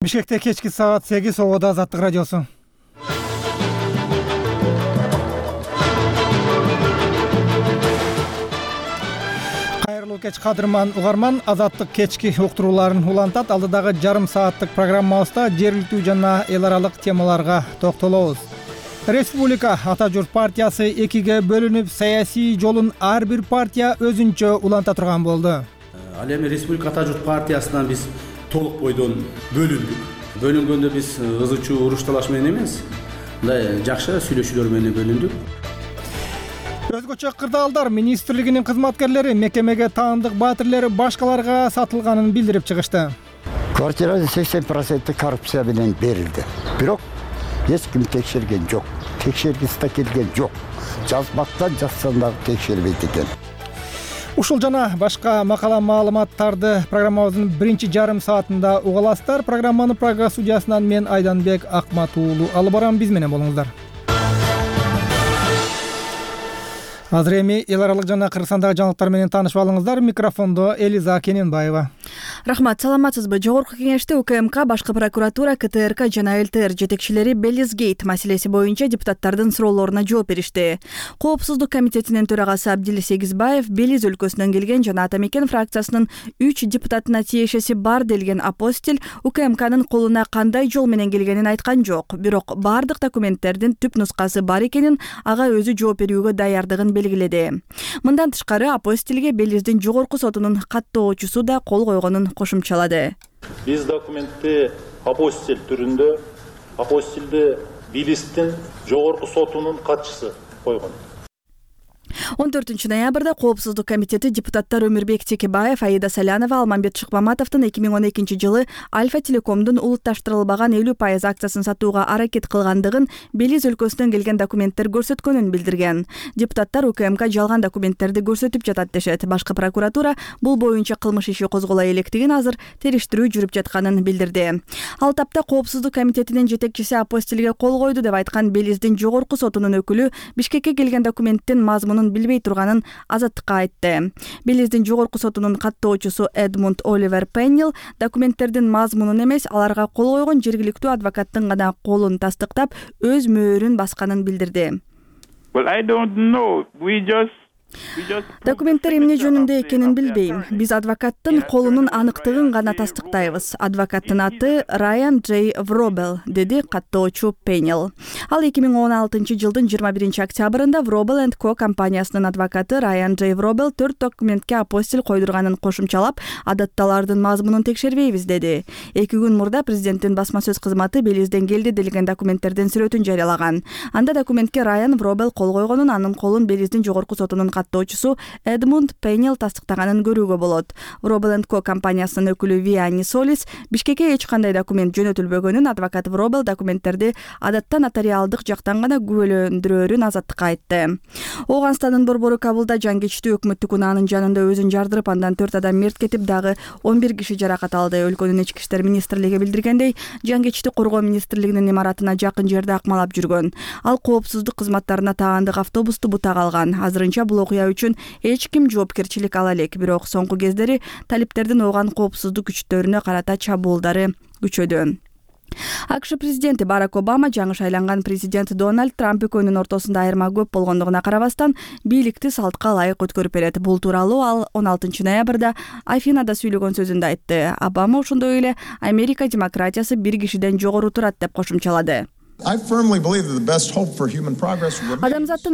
Бишкекте кечки саат 8 Ободо Азаттык радиосу. Кайрылуу кеч кадырман угарман, Азаттык кечки уктурууларын улантат. Алдыдагы жарым сааттык программабызда жергиликтүү жана эл аралык темаларга токтолобуз. Республика Ата журт партиясы экиге бөлүнүп, саясий жолун ар бир партия өзүнчө уланта турган болду. Ал эми Республика Ата журт партиясынан биз толук бойдон бөлүндүк. Бөлүнгөндө биз ызычуу уруш талаш менен эмес, мындай жакшы сүйлөшүүлөр менен бөлүндүк. Өзгөчө кырдаалдар министрлигинин кызматкерлери мекемеге таандык баатирлер башкаларга сатылганын билдирип чыгышты. Квартиранын 80% коррупция менен берилди. Бирок эч ким текшерген жок. Текшергиси да келген жок. Жазбактан жазсаң дагы текшербейт экен. Ушул жана башка макала маалыматтарды программабыздын биринчи жарым саатында уга аласыздар. Программаны Прага студиясынан мен Айданбек Акмат уулу алып барам. Биз менен болуңуздар. Азыр эми эл аралык жана Кыргызстандагы жаңылыктар менен таанышып алыңыздар. Микрофондо Элиза Кененбаева. Рахмат, саламатсызбы? Жогорку кеңеште УКМК, башкы прокуратура, КТРК жана ЛТР жетекчилери Белизгейт маселеси боюнча депутаттардын суроолоруна жооп беришти. Коопсуздук комитетинин төрагасы Абдил Сегизбаев Белиз өлкөсүнөн келген жана Ата Мекен фракциясынын 3 депутатына тиешеси бар делген апостиль УКМКнын колуна кандай жол менен келгенин айткан жок. Бирок бардык документтердин түп нускасы бар экенин, ага өзү жооп берүүгө даярдыгын белгиледи. Мындан тышкары апостильге Белиздин жогорку сотунун каттоочусу да кол койгонун кошумчалады. Биз документти апостиль түрүндө апостилди Белиздин жогорку сотунун катчысы койгон. 14 ноябрда Коопсуздук комитети депутаттар Өмүрбек Текебаев, Аида Салянова, Алмамбет Шыкмаматовдун 2012 жылы Альфа Телекомдун улутташтырылбаган 50% акциясын сатууга аракет кылгандыгын, Белиз өлкөсүнөн келген документтер көрсөткөнүн билдирген. Депутаттар УКМК жалган документтерди көрсөтүп жатат дешет. Башкы прокуратура бул боюнча кылмыш иши козголо электигин, азыр териштирүү жүрүп жатканын билдирди. Ал тапта Коопсуздук комитетинин жетекчиси апостильге кол койду деп айткан Белиздин жогорку сотунун өкүлү Бишкекке келген документтин мазмунун билбей турганын Азаттыкка айтты. Белиздин жогорку сотунун каттоочусу Эдмунд Оливер Пеннил документтердин мазмунун эмес, аларга кол койгон жергиликтүү адвокаттын гана колун тастыктап, өз мөөрүн басканын билдирди. Документтер эмне жөнүндө экенин билбейм. Биз адвокаттын колунун аныктыгын гана тастыктайбыз. Адвокаттын аты Райан Джей Вробел, деди каттоочу Пеннил. Ал 2016 жылдын 21 октябрында Вробел & Co компаниясынын адвокаты Райан Джей Вробел 4 документке апостиль койдурганын кошумчалап, адатта алардын мазмунун текшербейбиз деди. 2 күн мурда президенттин басма сөз кызматы Белизден келди делген документтердин сүрөтүн жарыялаган. Анда документке Райан Вробел кол койгонун, анын колун Белиздин жогорку сотунун каттоочусу Эдмунд Пеннил тастыктаганын көрүүгө болот. Вробел & Co компаниясынын өкүлү Виани Солис Бишкекке эч кандай документ жөнөтүлбөгөнүн, адвокат Вробел документтерди адатта нотариалдык жактан гана күбөлөндүрөөрүн Азаттыкка айтты. Ооганстандын борбору Кабылда жан кечтүү өкмөттүк унаанын жанында өзүн жардырып, андан 4 адам мерт кетип, дагы 11 киши жаракат алды. Өлкөнүн ички иштер министрлиги билдиргендей, жан кечтүү коргоо министрлигинин имаратына жакын жерде акмалап жүргөн. Ал коопсуздук кызматтарына таандык автобусту бутак алган. Азырынча бул окуя үчүн эч ким жоопкерчилик ала элек. Бирок соңку кездери талиптердин ооган коопсуздук күчтөрүнө карата чабуулдары күчөдү. АКШ президенти Барак Обама жаңы шайланган президент Дональд Трамп экөөнүн ортосунда айырма көп болгондугуна карабастан бийликти салтка ылайык өткөрүп берет. Бул тууралуу ал 16 ноябрда Афинада сүйлөгөн сөзүндө айтты. Обама ошондой эле Америка демократиясы бир кишиден жогору турат деп кошумчалады. Адамзаттын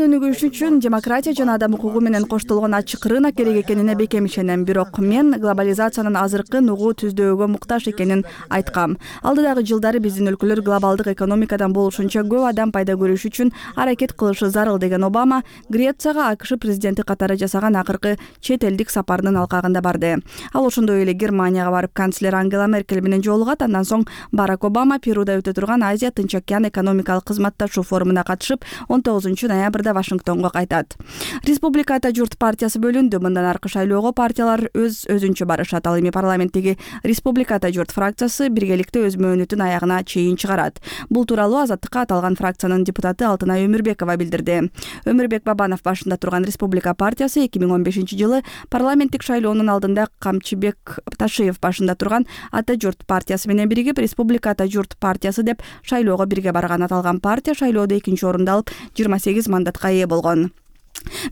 өнүгүшү үчүн демократия жана адам укугу менен коштолгон ачык рынок керек экенине бекем ишенем. Бирок мен глобализациянын азыркы нугу түздөөгө муктаж экенин айткам. Алдыдагы жылдары биздин өлкөлөр глобалдык экономикадан болушунча көп адам пайда көрүш үчүн аракет кылышы зарыл деген Обама Грецияга АКШ президенти катары жасаган акыркы чет элдик сапарынын алкагында барды. Ал ошондой эле Германияга барып канцлер Ангела Меркель менен жолугат. Андан соң Барак Обама Перуда өтө турган Азия Тынч океан экономикалык кызматташуу форумуна катышып 19 ноябрда Вашингтонго кайтат. Республика Ата журт партиясы бөлүндү. Мындан аркы шайлоого партиялар өзүнчө барышат. Ал эми парламенттеги Республика Ата журт фракциясы биргеликте өз мөөнөтүн аягына чейин чыгарат. Бул тууралуу Азаттыкка аталган фракциянын депутаты Алтынай Өмүрбекова билдирди. Өмүрбек Бабанов башында турган Республика партиясы 2015-жылы парламенттик шайлоонун алдында Камчыбек Ташиев башында турган Ата журт партиясы менен биригип Республика Ата журт партиясы деп шайлоого бирге барган. Аталган партия шайлоодо 2-орунду алып 28 мандатка ээ болгон.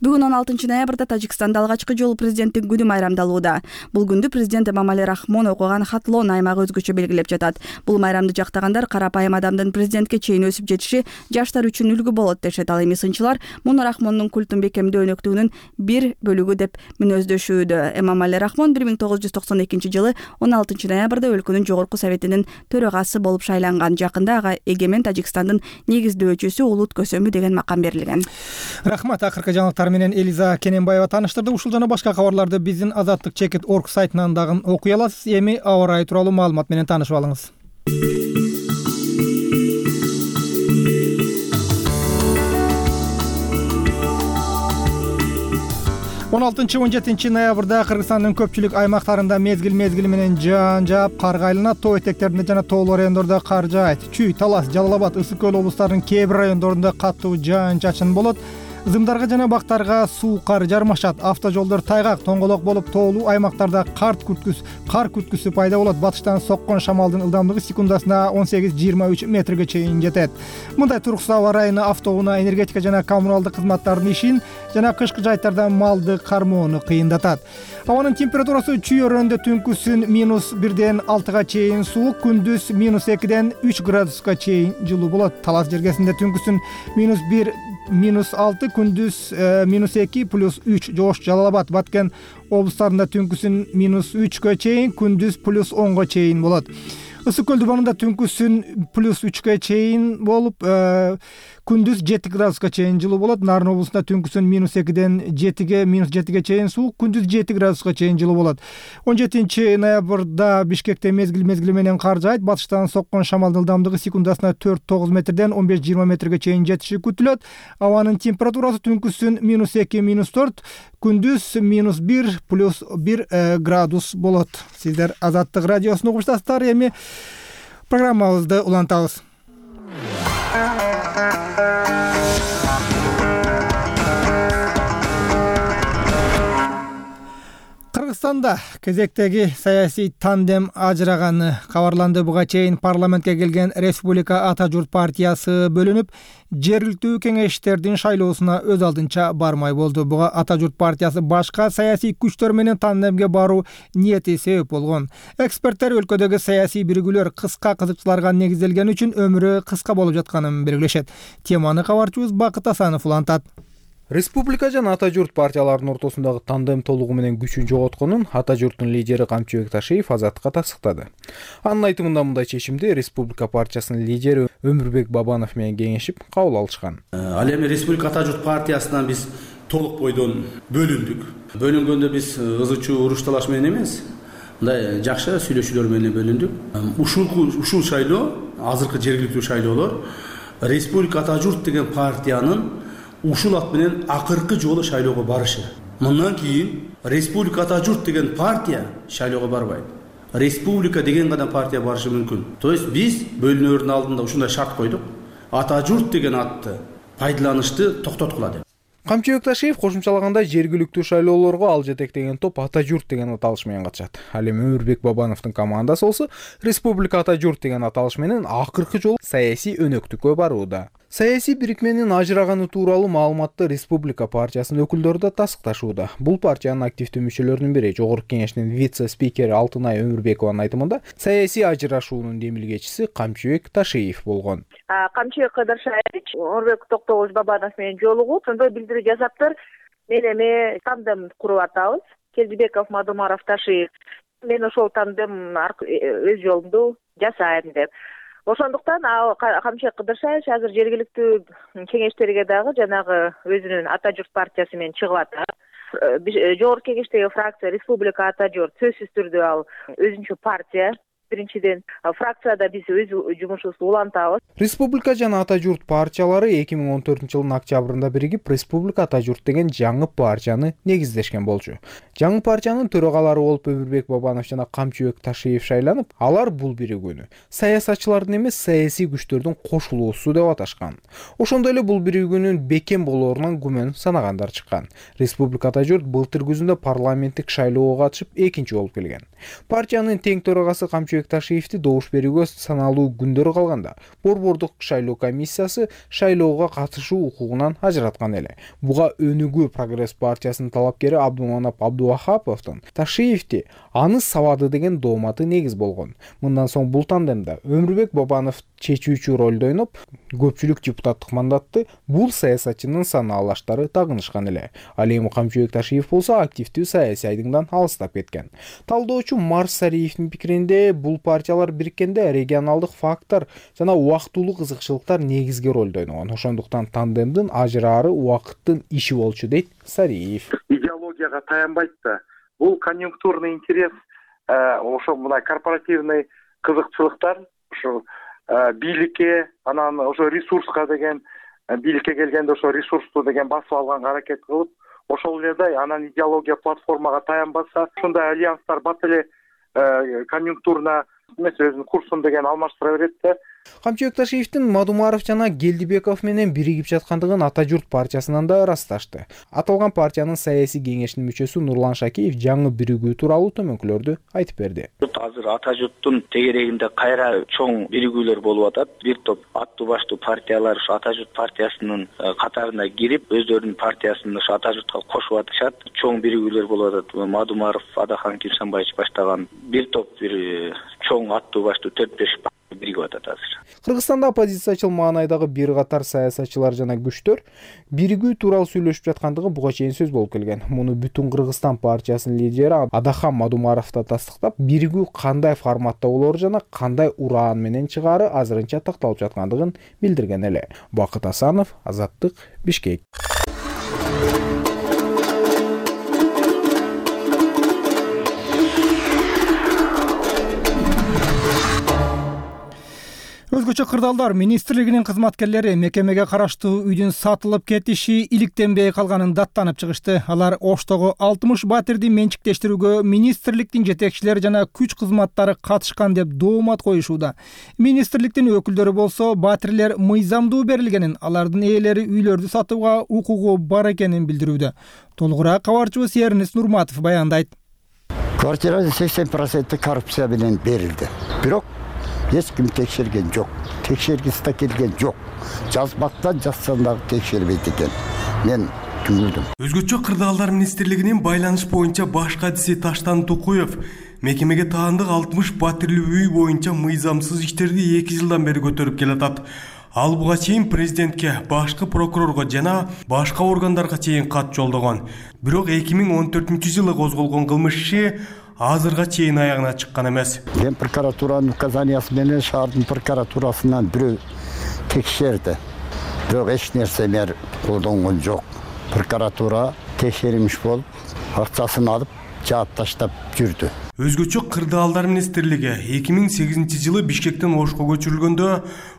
Бүгүн 16 ноябрда Тажикстанда алгачкы жолу президенттик күнү майрамдалууда. Бул күндү президент Эмомали Рахмон окуган Хатлон аймагы өзгөчө белгилеп жатат. Бул майрамды жактагандар карапайым адамдын президентке чейин өсүп жетиши жаштар үчүн үлгү болот дешет. Ал эми сынчылар муну Рахмондун культун бекемдөө өнөктүгүнүн бир бөлүгү деп мүнөздөшүүдө. Эмомали Рахмон 1992-жылы 16 ноябрда өлкөнүн жогорку советинин төрагасы болуп шайланган. Жакында ага эгемен Тажикстандын негиздөөчүсү улут көсөмү деген макам берилген. Рахмат. Акыркы жаңылыктар менен Элиза Кененбаева тааныштырды. Ушул жана башка кабарларды биздин azattik.org сайтынан дагы окуй аласыз. Эми аба ырайы тууралуу маалымат менен таанышып алыңыз. 16-17 ноябрда Кыргызстандын көпчүлүк аймактарында мезгил менен жаан жаап, кар айланат. Тоо этектеринде жана тоолуу райондордо кар жаайт. Чүй, Талас, Жалал Абад, Ысык Көл облустарынын кээ бир райондорунда катуу жаан-чачын болот. Зымдарга жана бактарга суу кар жармашат. Автожолдор тайгак, тоңголок болуп, тоолуу аймактарда кар күткүсү пайда болот. Батыштан соккон шамалдын ылдамдыгы секундасына 18-23 метрге чейин жетет. Мындай туруксуз аба ырайыны автоунаа, энергетика жана коммуналдык кызматтардын ишин жана кышкы жайттарда малды кармоону кыйындатат. Абанын температурасы чүй өрөөндө түнкүсүн -1ден 6га чейин суук, күндүз -2ден 3 градуска чейин жылуу болот. Талас жергесинде түнкүсүн -1 -6, күндүз -2 +3. Жош, Жалал Абад, Баткен облустарында түнкүсүн -3гө чейин, күндүз +10го чейин болот. Ысык Көл дубанында түнкүсүн +3гө чейин болуп, күндүз 7 градуска чейин жылуу болот. Нарын облусунда түнкүсүн -2ден -7ге чейин суук, күндүз 7 градуска чейин жылуу болот. 17 ноябрда Бишкекте мезгил менен кар жаайт. Батыштан соккон шамалдын ылдамдыгы секундасына 4-9 метрден 15-20 метрге чейин жетиши күтүлөт. Абанын температурасы түнкүсүн -2, -4, күндүз -1 +1 градус болот. Сиздер Азаттык радиосун угуштасыздар. Эми программабызды улантабыз. Кыргызстанда кезектеги саясий тандем ажыраганы кабарланды. Буга чейин парламентке келген Республика Ата журт партиясы бөлүнүп, жергиликтүү кеңештердин шайлоосуна өз алдынча бармай болду. Буга Ата журт партиясы башка саясий күчтөр менен тандемге баруу ниети себеп болгон. Эксперттер өлкөдөгү саясий биригүүлөр кыска кызыкчыларга негизделгени үчүн өмүрү кыска болуп жатканын белгилешет. Теманы кабарчыбыз Бакыт Асанов улантат. Республика жана Ата журт партияларынын ортосундагы тандем толугу менен күчүн жоготконун Ата журттун лидери Камчыбек Ташиев Азаттыкка тастыктады. Анын айтымында мындай чечимди Республика партиясынын лидери Өмүрбек Бабанов менен кеңешип кабыл алышкан. Ал эми Республика Ата журт партиясынан биз толук бойдон бөлүндүк. Бөлүнгөндө биз ызы чуу уруш талаш менен эмес, мындай жакшы сүйлөшүүлөр менен бөлүндүк. Ушул шайлоо, азыркы жергиликтүү шайлоолор Республика Ата журт деген партиянын ушул ат менен акыркы жолу шайлоого барышы. Мындан кийин Республика Ата журт деген партия шайлоого барбайт. Республика деген гана партия барышы мүмкүн. То есть биз бөлүнөрдүн алдында ушундай шарт койдук. Ата журт деген атты пайдаланышты токтоткула деп. Камчыбек Ташиев кошумчалагандай жергиликтүү шайлоолорго ал жетектеген топ Ата журт деген аталыш менен катышат. Ал эми Өмүрбек Бабановдун командасы болсо Республика Ата журт деген аталыш менен акыркы жолу саясий өнөктүккө барууда. Саясий бирикменин ажыраганы тууралуу маалыматты Республика партиясынын өкүлдөрү да тастыкташууда. Бул партиянын активдүү мүчөлөрүнүн бири Жогорку кеңештин вице-спикери Алтынай Өмүрбекованын айтымында саясий ажырашуунун демилгечиси Камчыбек Ташиев болгон. Камчыбек Кыдыршаевич Өмүрбек Токтогулович Бабанов менен жолугуп, ошондой билдирүү жасаптыр. Мен эми тандем куруп атабыз. Келдибеков, Мадумаров, Ташиев. Мен ошол тандем өз жолумду жасайм деп. Ошондуктан Камчыбек Кыдыршаевич азыр жергиликтүү кеңештерге дагы жанагы өзүнүн Ата журт партиясы менен чыгып атат. Жогорку кеңештеги фракция Республика Ата журт сөзсүз түрдө ал өзүнчө партия. Биринчиден, фракцияда биз өз жумушубузду улантабыз. Республика жана Ата журт партиялары 2014-жылдын октябрында биригип Республика Ата журт деген жаңы партияны негиздешкен болчу. Жаңы партиянын төрагалары болуп Өмүрбек Бабанов жана Камчыбек Ташиев шайланып, алар бул биригүүнү саясатчылардын эмес, саясий күчтөрдүн кошулуусу деп аташкан. Ошондой эле бул биригүүнүн бекем болоорунан күмөн санагандар чыккан. Республика Ата журт былтыр күзүндө парламенттик шайлоого катышып экинчи болуп келген. Партиянын тең төрагасы Камчыбек Ташиевди добуш берүүгө саналуу күндөр калганда Борбордук шайлоо комиссиясы шайлоого катышуу укугунан ажыраткан эле. Буга Өнүгүү Прогресс партиясынын талапкери Абдуманап Абдувахаповдун Ташиевди аны сабады деген дооматы негиз болгон. Мындан соң бул тандемде Өмүрбек Бабанов чечүүчү ролду ойноп, көпчүлүк депутаттык мандатты бул саясатчынын санаалаштары тагынышкан эле. Ал эми Камчыбек Ташиев болсо активдүү саясий айдыңдан алыстап кеткен. Талдоочу Марс Сариевдин пикиринде бул партиялар бириккенде регионалдык фактор жана убактылуу кызыкчылыктар негизги ролду ойногон. Ошондуктан тандемдин ажыраары убакыттын иши болчу дейт Сариев. Идеологияга таянбайт да. Бул конъюнктурный интерес, ошо мына корпоративный кызыкчылыктар, ошо бийликке, анан ошо ресурска деген, бийликке келгенде ошо ресурсту деген басып алганга аракет кылып, ошол эле анан идеология платформага таянбаса, ошондой альянстар бат эле конъюнктурно эмес өзүнүн курсун деген алмаштыра берет да. Камчыбек Ташиевдин Мадумаров жана Келдибеков менен биригип жаткандыгын Ата журт партиясынан да ырасташты. Аталган партиянын саясий кеңешинин мүчөсү Нурлан Шакиев жаңы биригүү тууралуу төмөнкүлөрдү айтып берди. Азыр Ата журттун тегерегинде кайра чоң биригүүлөр болуп атат. Бир топ аттуу баштуу партиялар ушу Ата журт партиясынын катарына кирип, өздөрүнүн партиясын ушу Ата журтка кошуп атышат. Чоң биригүүлөр болуп атат. Мадумаров, Адахан Кимсанбаевич баштаган бир топ чоң аттуу баштуу 4-5 биригип атат азыр. Кыргызстанда оппозициячыл маанайдагы бир катар саясатчылар жана күчтөр биригүү тууралуу сүйлөшүп жаткандыгы буга чейин сөз болуп келген. Муну Бүтүн Кыргызстан партиясынын лидери Адахан Мадумаров да тастыктап, биригүү кандай форматта болору жана кандай ураан менен чыгаары азырынча такталып жаткандыгын билдирген эле. Бакыт Асанов, Азаттык, Бишкек. Өзгөчө кырдаалдар министрлигинин кызматкерлери мекемеге караштуу үйдүн сатылып кетиши иликтенбей калганын даттанып чыгышты. Алар Оштогу 60 батирди менчиктештирүүгө министрликтин жетекчилери жана күч кызматтары катышкан деп доомат коюшууда. Министрликтин өкүлдөрү болсо батирлер мыйзамдуу берилгенин, алардын ээлери үйлөрдү сатууга укугу бар экенин билдирүүдө. Толугураак кабарчыбыз Эрнис Нурматов баяндайт. Квартиранын 80% коррупция менен берилди. Бирок эч ким текшерген жок. Текшергиси да келген жок. Жазбактан жазсаң дагы текшербейт экен. Мен түңүлдүм. Өзгөчө кырдаалдар министрлигинин байланыш боюнча баш катчысы Таштан Тукуев мекемеге таандык 60 батирлүү үй боюнча мыйзамсыз иштерди 2 жылдан бери көтөрүп келатат. Ал буга чейин президентке, башкы прокурорго жана башка органдарга чейин кат жолдогон. Бирок 2014-жылы козголгон кылмыш иши азырга чейин аягына чыккан эмес. Ген прокуратуранын указаниясы менен шаардын прокуратурасынан бирөө текшерди. Бирок эч нерсе мер колдонгон жок. Прокуратура текшеримиш болуп, акчасын алып, жаап таштап жүрдү. Өзгөчө кырдаалдар министрлиги 2008-жылы Бишкектен Ошко көчүрүлгөндө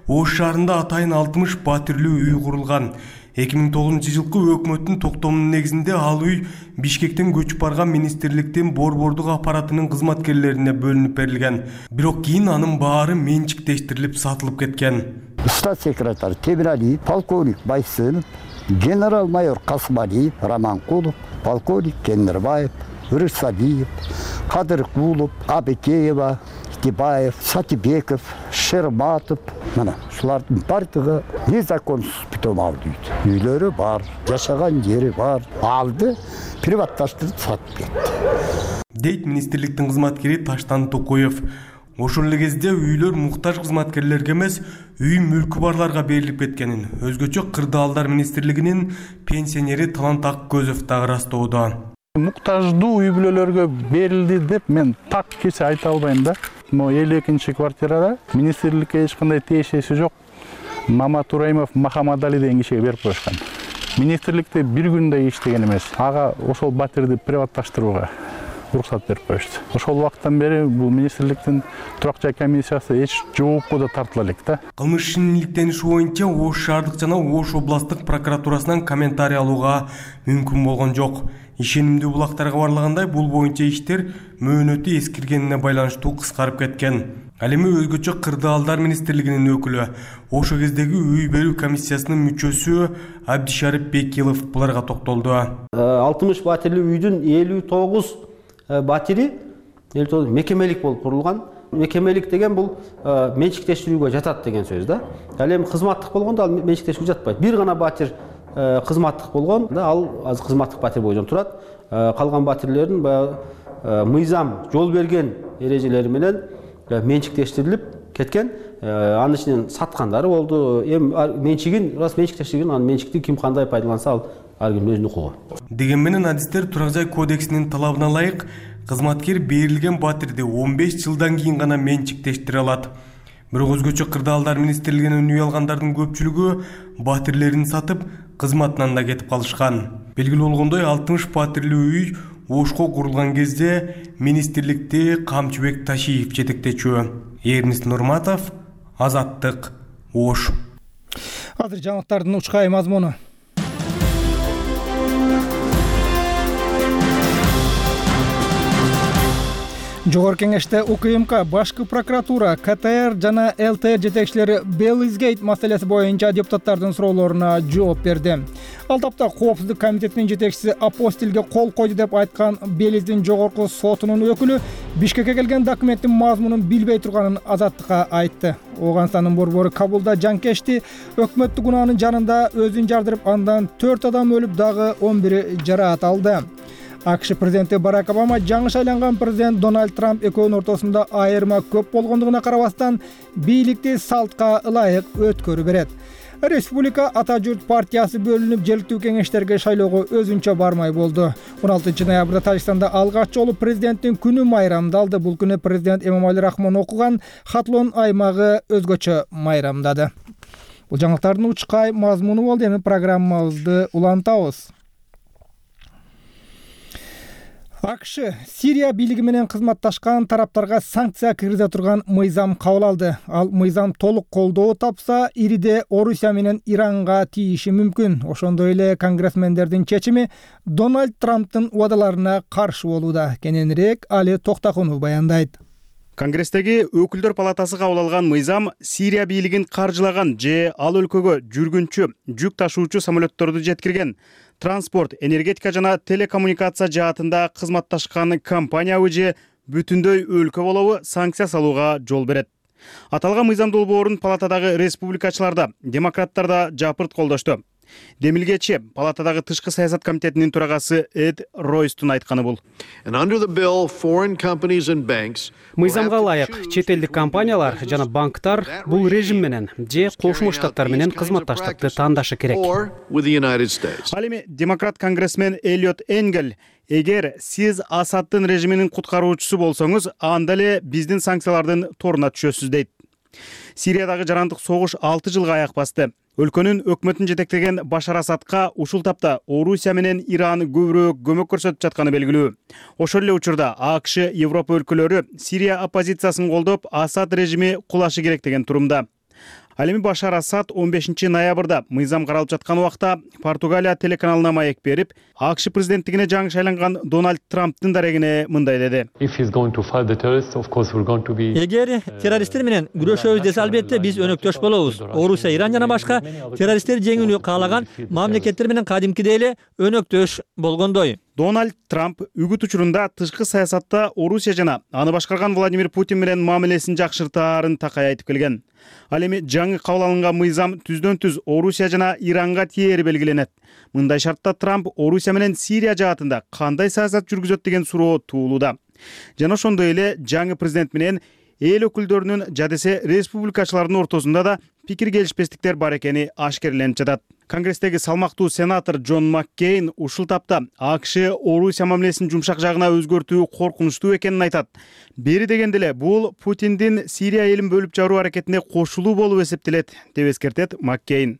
Ош шаарында атайын 60 батирлүү үй курулган. 2009-жылкы өкмөттүн токтомунун негизинде ал үй Бишкектен көчүп барган министрликтин борбордук аппаратынын кызматкерлерине бөлүнүп берилген. Бирок кийин анын баары менчиктештирилип сатылып кеткен. Штат секретарь Темиралиев, полковник Байсынов, генерал-майор Касымалиев, Раманкулов, полковник Кендирбаев, Рысалиев, Кадыркулов, Абекеева, Тибаев, Сатибеков, Шерматов, мына ушулардын бардыгы незаконсуз бүтөм алды үйдү. Үйлөрү бар, жашаган жери бар. Алды, приватташтырып сатып кетти. Дейт министрликтин кызматкери Таштан Тукуев. Ошол эле кезде үйлөр муктаж кызматкерлерге эмес, үй мүлкү барларга берилип кеткенин өзгөчө кырдаалдар министрлигинин пенсионери Талант Аккөзов дагы ырастоодо. Муктаждуу үй бүлөлөргө берилди деп мен так кече айта албайм да. Но 52-чи квартирада министрликке эч кандай тиешеси жок. Мамат Тураимов Махамадали деген кишиге берип коюшкан. Министрликте бир күндө иштеген эмес. Ага ошол батирди приватташтырууга уруксат берип коюшту. Ошол убакыттан бери бул министрликтин турак жай комиссиясы эч жоопко да тартыла элек да. Кылмыш ишинин иликтениши боюнча Ош шаардык жана Ош областтык прокуратурасынан комментарий алууга мүмкүн болгон жок. Ишенимдүү булактарга барлагандай бул боюнча иштер мөөнөтү эскиргенине байланыштуу кыскарып кеткен. Ал эми өзгөчө кырдаалдар министрлигинин өкүлү, ошол кездеги үй берүү комиссиясынын мүчөсү Абдишарип Бекилов буларга токтолду. 60 батирлүү үйдүн 59 батири мекемелик болуп курулган. Мекемелик деген бул менчиктештирүүгө жатат деген сөз да. Ал эми кызматтык болгондо ал менчиктештирүүгө жатпайт. Бир гана батир кызматтык болгон да, ал азыр кызматтык батир бойдон турат. Калган батирлердин мыйзам жол берген эрежелери менен менчиктештирилип кеткен. Анын ичинен саткандары болду. Эми менчигин рас менчиктештирген, анын менчикти ким кандай пайдаланса ал ар кимдин өзүнүн укугу. Деген менен адистер турак жай кодексинин талабына ылайык кызматкер берилген батирди 15 жылдан кийин гана менчиктештире алат. Бирок өзгөчө кырдаалдар министрлигинен үй алгандардын көпчүлүгү батирлерин сатып, кызматынан да кетип калышкан. Белгилүү болгондой 60 батирлүү үй Ошко курулган кезде министрликти Камчыбек Ташиев жетектечү. Эрнис Нурматов, Азаттык, Ош. Азыр жаңылыктардын учкай мазмуну. Жогорку кеңеште УКМК, Башкы прокуратура, КТР жана ЛТР жетекчилери Беллизгейт маселеси боюнча депутаттардын суроолоруна жооп берди. Ал тапта Коопсуздук комитетинин жетекчиси Апостилге кол койду деп айткан Белиздин жогорку сотунун өкүлү Бишкекке келген документтин мазмунун билбей турганын Азаттыкка айтты. Ооганстандын борбору Кабулда жанкечти, өкмөттүк унаанын жанында өзүн жардырып, андан 4 адам өлүп, дагы 11 жараат алды. АКШ президенти Барак Обама жаңы шайланган президент Дональд Трамп экөөнүн ортосунда айырма көп болгондугуна карабастан бийликти салтка ылайык өткөрү берет. Республика Ата журт партиясы бөлүнүп, желектүү кеңештерге шайлоого өзүнчө бармай болду. 16 ноябрда Тажикстанда алгач жолу президенттин күнү майрамдалды. Бул күнү президент Эмомали Рахмон окуган Хатлон аймагы өзгөчө майрамдады. Бул жаңылыктардын учкай мазмуну болду. Эми программабызды улантабыз. АКШ Сирия бийлиги менен кызматташкан тараптарга санкция киргизе турган мыйзам кабыл алды. Ал мыйзам толук колдоо тапса, ириде Орусия менен Иранга тийиши мүмкүн. Ошондой эле конгрессмендердин чечими Дональд Трамптын убадаларына каршы болууда. Кененирээк Али Токтакунов баяндайт. Конгресстеги өкүлдөр палатасы кабыл алган мыйзам Сирия бийлигин каржылаган же ал өлкөгө жүргүнчү, жүк ташуучу самолетторду жеткирген, транспорт, энергетика жана телекоммуникация жаатында кызматташкан компания же бүтүндөй өлкө болобу санкция салууга жол берет. Аталган мыйзам долбоорун палатадагы республикачылар да, демократтар да жапырт колдошту. Демилгечи палатадагы тышкы саясат комитетинин төрагасы Эд Ройстун айтканы бул. Мыйзамга ылайык чет элдик компаниялар жана банктар бул режим менен же Кошмо Штаттар менен кызматташтыкты тандашы керек. Ал эми демократ конгрессмен Эллиот Энгел: эгер сиз Асаддын режиминин куткаруучусу болсоңуз, анда эле биздин санкциялардын торуна түшөсүз дейт. Сириядагы жарандык согуш 6 жылга аяк басты. Өлкөнүн өкмөтүн жетектеген Башар Асадка ушул тапта Орусия менен Иран көбүрөөк көмөк көрсөтүп жатканы белгилүү. Ошол эле учурда АКШ, Европа өлкөлөрү Сирия оппозициясын колдоп, Асад режими кулашы керек деген турумда. Ал эми Башар Асад 15 ноябрда мыйзам каралып жаткан убакта Португалия телеканалына маек берип, АКШ президенттигине жаңы шайланган Дональд Трамптын дарегине мындай деди: Эгер террористтер менен күрөшөбүз десе, албетте биз өнөктөш болобуз. Орусия, Иран жана башка террористтер жеңүүнү каалаган мамлекеттер менен кадимкидей эле өнөктөш болгондой. Дональд Трамп үгүт учурунда тышкы саясатта Орусия жана аны башкарган Владимир Путин менен мамилесин жакшыртаарын такай айтып келген. Ал эми жаңы кабыл алынган мыйзам түздөн-түз Орусия жана Иранга тиери белгиленет. Мындай шартта Трамп Орусия менен Сирия жаатында кандай саясат жүргүзөт деген суроо туулууда. Жана ошондой эле жаңы президент менен эл өкүлдөрүнүн жадесе республикачылардын ортосунда да пикир келишпестиктер бар экени ашкерленип жатат. Конгресстеги салмактуу сенатор Джон Маккейн ушул тапта АКШ Орусия мамилесин жумшак жагына өзгөртүү коркунучтуу экенин айтат. Бери дегенде эле бул Путиндин Сирия элин бөлүп жаруу аракетине кошулуу болуп эсептелет, деп эскертет Маккейн.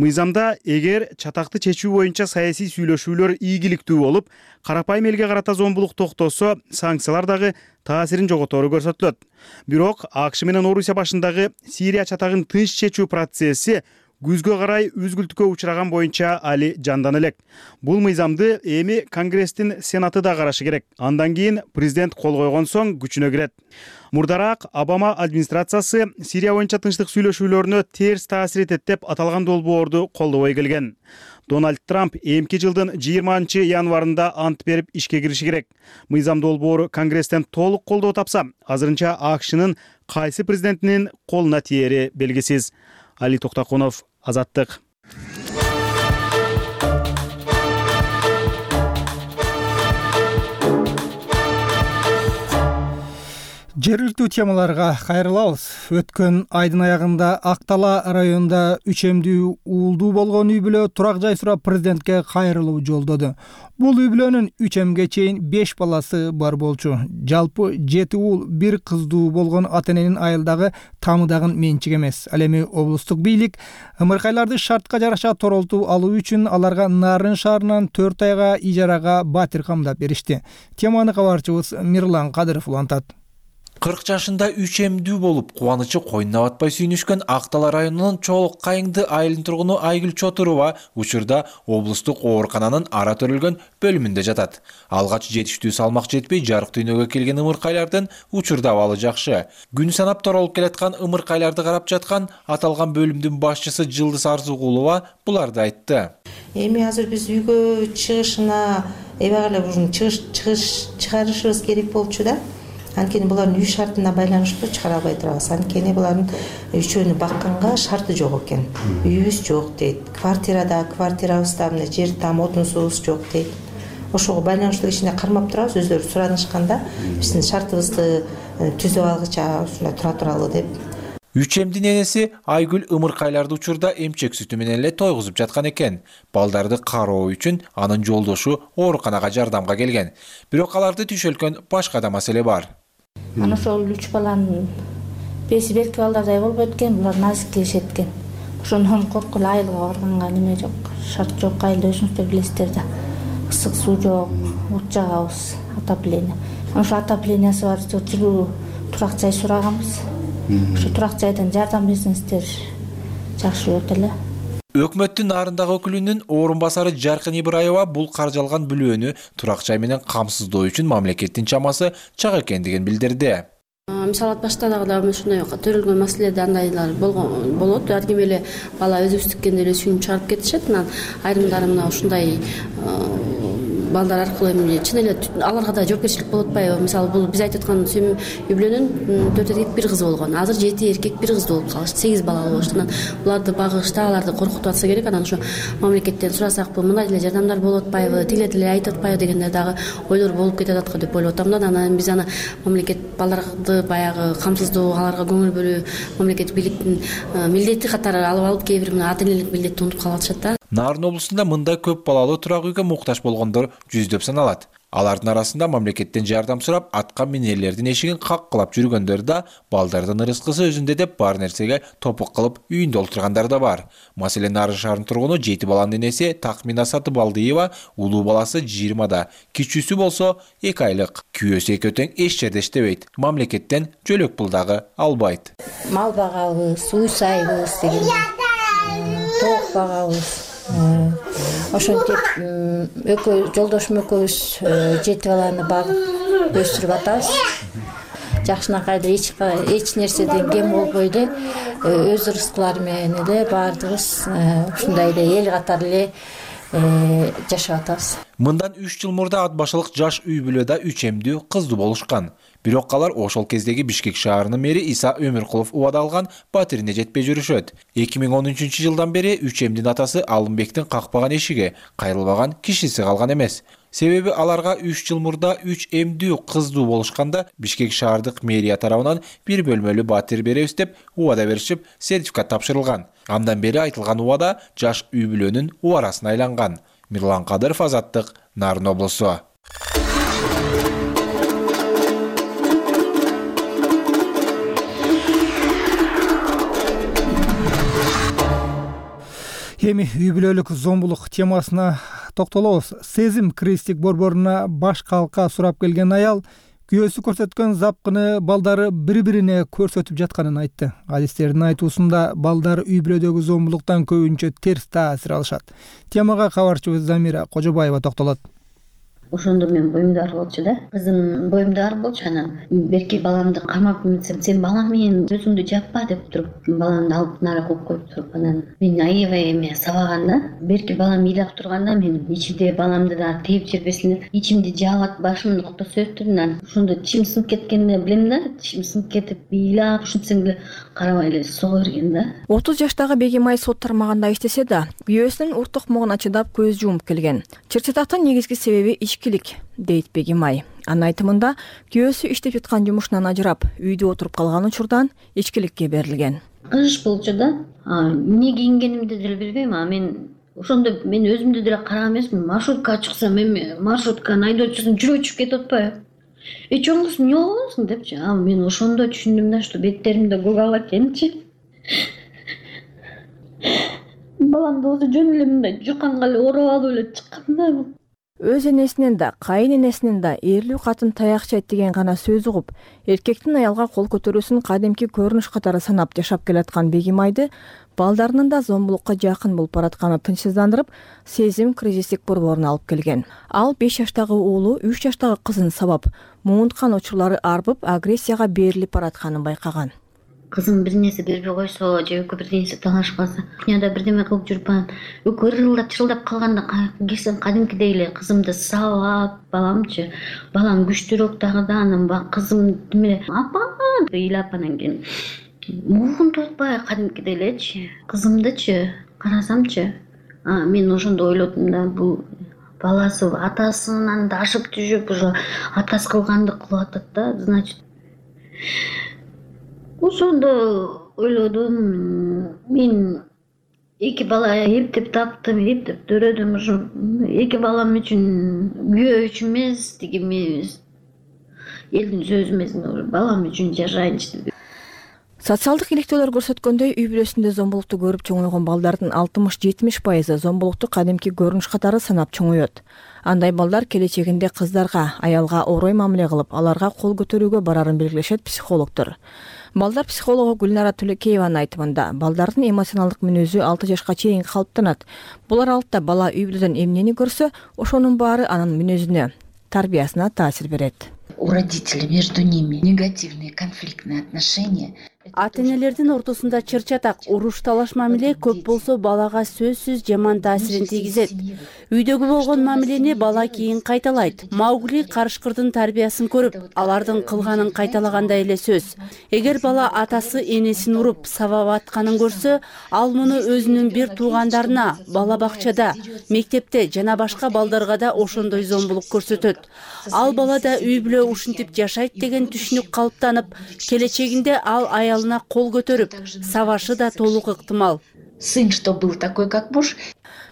Мыйзамда эгер чатакты чечүү боюнча саясий сүйлөшүүлөр ийгиликтүү болуп, карапайым элге карата зомбулук токтосо, санкциялар дагы таасирин жоготору көрсөтүлөт. Бирок АКШ менен Орусия башындагы Сирия чатагын тынч чечүү процесси күзгө карай үзгүлтүккө учураган боюнча али жандан элек. Бул мыйзамды эми Конгресстин Сенаты да карашы керек. Андан кийин президент кол койгон соң күчүнө кирет. Мурдараак Обама администрациясы Сирия боюнча тынчтык сүйлөшүүлөрүнө терс таасир этет деп аталган долбоорду колдобой келген. Дональд Трамп эмки жылдын 20 январында ант берип ишке кириши керек. Мыйзам долбоору Конгресстен толук колдоо тапса, азырынча АКШнын кайсы президентинин колуна тиери белгисиз. Али Токтакунов, Азаттык. Жергиликтүү темаларга кайрылабыз. Өткөн айдын аягында Актала районунда үчемдүү уулдуу болгон үй бүлө турак жай сурап президентке кайрылуу жолдоду. Бул үй бүлөнүн 3 эмге чейин 5 баласы бар болчу. Жалпы 7 уул 1 кыздуу болгон ата-эненин айылдагы тамыдагын менчик эмес. Ал эми облустук бийлик ымыркайларды шартка жараша торолтуп алуу үчүн аларга Нарын шаарынан 4 айга ижарага батир камдап беришти. Теманы кабарчыбыз Мирлан Кадыров улантат. 40 жашында 3 эмдүү болуп, кубанычы койнуна батпай сүйүнүшкөн Актала районунун Чоолук Кайыңды айылын тургуну Айгүл Чотурова учурда облустук оорукананын ара төрөлгөн бөлүмүндө жатат. Алгач жетиштүү салмак жетпей жарык дүйнөгө келген ымыркайлардын учурда абалы жакшы. Күн санап торолуп келаткан ымыркайларды карап жаткан аталган бөлүмдүн башчысы Жылдыз Арзугулова буларды айтты. Эми азыр биз үйгө чыгышына эбегеле чыгарышыбыз керек болчу да. Анткени булардын үй шартына байланыштуу чыгара албай турабыз. Анткени булардын үчөөнү бакканга шарты жок экен. Үйүбүз жок дейт. Квартирабызда мына жер там отун суубуз жок дейт. Ошого байланыштуу кичине кармап турабыз. Өздөрү суранышканда биздин шартыбызды түзүп алгыча ушундай тура туралы деп. Үчемдин энеси Айгүл ымыркайларды учурда эмчек сүтү менен эле тойгузуп жаткан экен. Балдарды кароо үчүн анын жолдошу ооруканага жардамга келген. Бирок аларды түшөлкөн башка да маселе бар. Ана ошол 3 баланын беси берки балдардай болбойт экен, булар назиктешет экен. Ошондон коркуп айылга барганга неме жок, шарт жок, айылда өзүңүздөр билесиздер да. Ысык суу жок, от жагабыз, отопление. Ошо отоплениясы бар, жылуу турак жай сураганбыз. Ошо турак жайдан жардам берсеңиздер жакшы болот эле. Өкмөттүн Нарындагы өкүлүнүн орун басары Жаркын Ибраева бул каржалган бүлөөнү турак жай менен камсыздоо үчүн мамлекеттин чамасы чак экендигин билдирди. Мисалы башта дагы ушундай төрөлгөн маселеде андайлар болот. Ар ким эле бала өзүбүз тиккенде эле сүйүнүп чыгарып кетишет. Анан айрымдары мына ушундай балдар аркылуу эми чын эле аларга да жоопкерчилик болуп атпайбы? Мисалы бул биз айтып аткан үй бүлөнүн 4 эркек 1 кыз болгон. Азыр 7 эркек 1 кыз болуп калышты. 8 балалы болушту. Анан буларды багышта, аларды коркутуп атса керек. Анан ошо мамлекеттен сурасакпы, мындай деле жардамдар болуп атпайбы, тиле деле айтып атпайбы дегендер дагы ойлор болуп кетет атка деп ойлоп атам да. Анан биз мамлекет балдарды баягы камсыздоо, аларга көңүл бөлүү мамлекет бийликтин милдети катары алып кээ бир ата энелик милдетти унутуп калып атышат да. Нарын облусунда мындай көп балалуу турак үйгө муктаж болгондор жүздөп саналат. Алардын арасында мамлекеттен жардам сурап, атка минерлердин эшигин каккылап жүргөндөр да, балдардын ырыскысы өзүндө деп бар нерсеге топук кылып үйүндө олтургандар да бар. Маселен, Нарын шаарынын тургуну 7 баланын энеси Такмина Сатыбалдиева улуу баласы 20да, кичүүсү болсо 2 айлык. Күйөөсү экөө тең эч жерде иштебейт. Мамлекеттен жөлөк пул дагы албайт. Мал багабыз, үй сайбыз деген, тоок багабыз. Ошентип жолдошум экөөбүз 7 баланы багып өстүрүп атабыз. Жакшынакай эч нерседен кем болбой эле өз ырыскылары менен эле баардыгыбыз ушундай эле эл катары эле жашап атабыз. Мындан 3 жыл мурда ат башылык жаш үй бүлөдө 3 эмдүү кыздуу болушкан. Бирок алар ошол кездеги Бишкек шаарынын мэри Иса Өмүркулов убада алган батирине жетпей жүрүшөт. 2013-жылдан бери 3 эмдин атасы Алымбектин какпаган эшиги, кайрылбаган кишиси калган эмес. Себеби аларга 3 жыл мурда 3 эмдүү кыздуу болушканда Бишкек шаардык мэрия тарабынан 1 бөлмөлүү батир беребиз деп убада беришип, сертификат тапшырылган. Андан бери айтылган убада жаш үй бүлөнүн убарасына айланган. Мирлан Кадыров, Азаттык, Нарын облусу. эми үй бүлөлүк зомбулук темасына токтолобуз. Сезим кризистик борборуна баш калка сурап келген аял күйөөсү көрсөткөн запкыны балдары бири-бирине көрсөтүп жатканын айтты. Адистердин айтуусунда балдар үй бүлөдөгү зомбулуктан көбүнчө терс таасир алышат. Темага кабарчыбыз Замира Кожобаева токтолот. Ошондо мен боюмда ар болчу да. Кызым боюмда ар болчу. Анан берки баламды кармап эмитсем, сен балам менен өзүңдү жаппа деп туруп, баламды алып нара коюп коюп туруп, анан мен аябай эме сабаганда, берки балам ыйлап турганда мен ичимде баламды да тээп жибербесин деп, ичимди жаап, башымды кыптап сөйттүм. Анан ошондо чим сынып кеткенди билем да, чим сынып кетип, ыйлап ушинтсең деле карабай эле сого берген да. 30 жаштагы Бегимай сот тармагында иштесе да, күйөөсүнүн урт токмогуна чыдап көз жумуп келген. Чыр-чатактын негизги себеби ичкилик, дейт Бегимай. Анын айтымында күйөөсү иштеп жаткан жумушунан ажырап, үйдө отуруп калган учурдан ичкиликке берилген. Кыш болчу да. Эмне кийингенимди деле билбейм. Мен ошондо мен өзүмдү деле караган эмесмин. Маршруткага чыксам эми маршрутканын айдоочусун жүрөгү чыгып кетип атпайбы? Чоңгус эмне болосуң депчи. Мен ошондо түшүндүм да, что беттеримде көк ала экенчи. Баламды өзү жөн эле мындай жуканга эле ороп алып эле чыккан да. Өз энесинен да, кайын энесинен да эрлүү катын таяк чайт деген гана сөз угуп, эркектин аялга кол көтөрүүсүн кадимки көрүнүш катары санап жашап келаткан Бегимайды балдарынын да зомбулукка жакын болуп баратканы тынчсыздандырып, Сезим кризистик борборуна алып келген. Ал 5 жаштагы уулу 3 жаштагы кызын сабап, муунткан учурлары арбып, агрессияга берилип баратканын байкаган. Кызым бир нерсе бербей койсо, же экөө бир нерсе талашып калса, кухняда бирдеме кылып жүрүп, экөө ырылдап чырылдап калганда келсем кадимкидей эле кызымды сабап, балам күчтүүрөөк дагы да, анан кызым неме апа ыйлап, анан кийин муунтуп атпай кадимкидей элечи. Кызымдычы карасамчы, мен ошондо ойлодум да, бул баласы атасынан да ашып түшүп, уже атасы кылганды кылып атат да, значит. Ошондо ойлодум, мен эки бала эптеп таптым, эптеп төрөдүм. Ошо эки балам үчүн, күйөө үчүн эмес, тиги эмес, элдин сөзү эмес, балам үчүн жашайынчы деп. Социалдык иликтөөлөр көрсөткөндөй, үй бүлөсүндө зомбулукту көрүп чоңойгон балдардын 60-70% зомбулукту кадимки көрүнүш катары санап чоңоет. Андай балдар келечегинде кыздарга, аялга орой мамиле кылып, аларга кол көтөрүүгө барарын белгилешет психологдор. Балдар психологу Гүлнара Түлекееванын айтымында, балдардын эмоционалдык мүнөзү 6 жашка чейин калыптанат. Бул аралыкта бала үй бүлөдөн эмнени көрсө, ошонун баары анын мүнөзүнө, тарбиясына таасир берет. У родителей между ними негативные конфликтные отношения. Ата-энелердин ортосунда чыр-чатак, уруш талаш мамиле көп болсо балага сөзсүз жаман таасирин тийгизет. Үйдөгү болгон мамилени бала кийин кайталайт. Маугли карышкырдын тарбиясын көрүп, алардын кылганын кайталагандай эле сөз. Эгер бала атасы энесин уруп, сабап атканын көрсө, ал муну өзүнүн бир туугандарына, бала бакчада, мектепте жана башка балдарга да ошондой зомбулук көрсөтөт. Ал бала да үй бүлө ушинтип жашайт деген түшүнүк калыптанып, келечегинде ал аялына кол көтөрүп, сабашы да толук ыктымал. Сын, что был такой, как муж.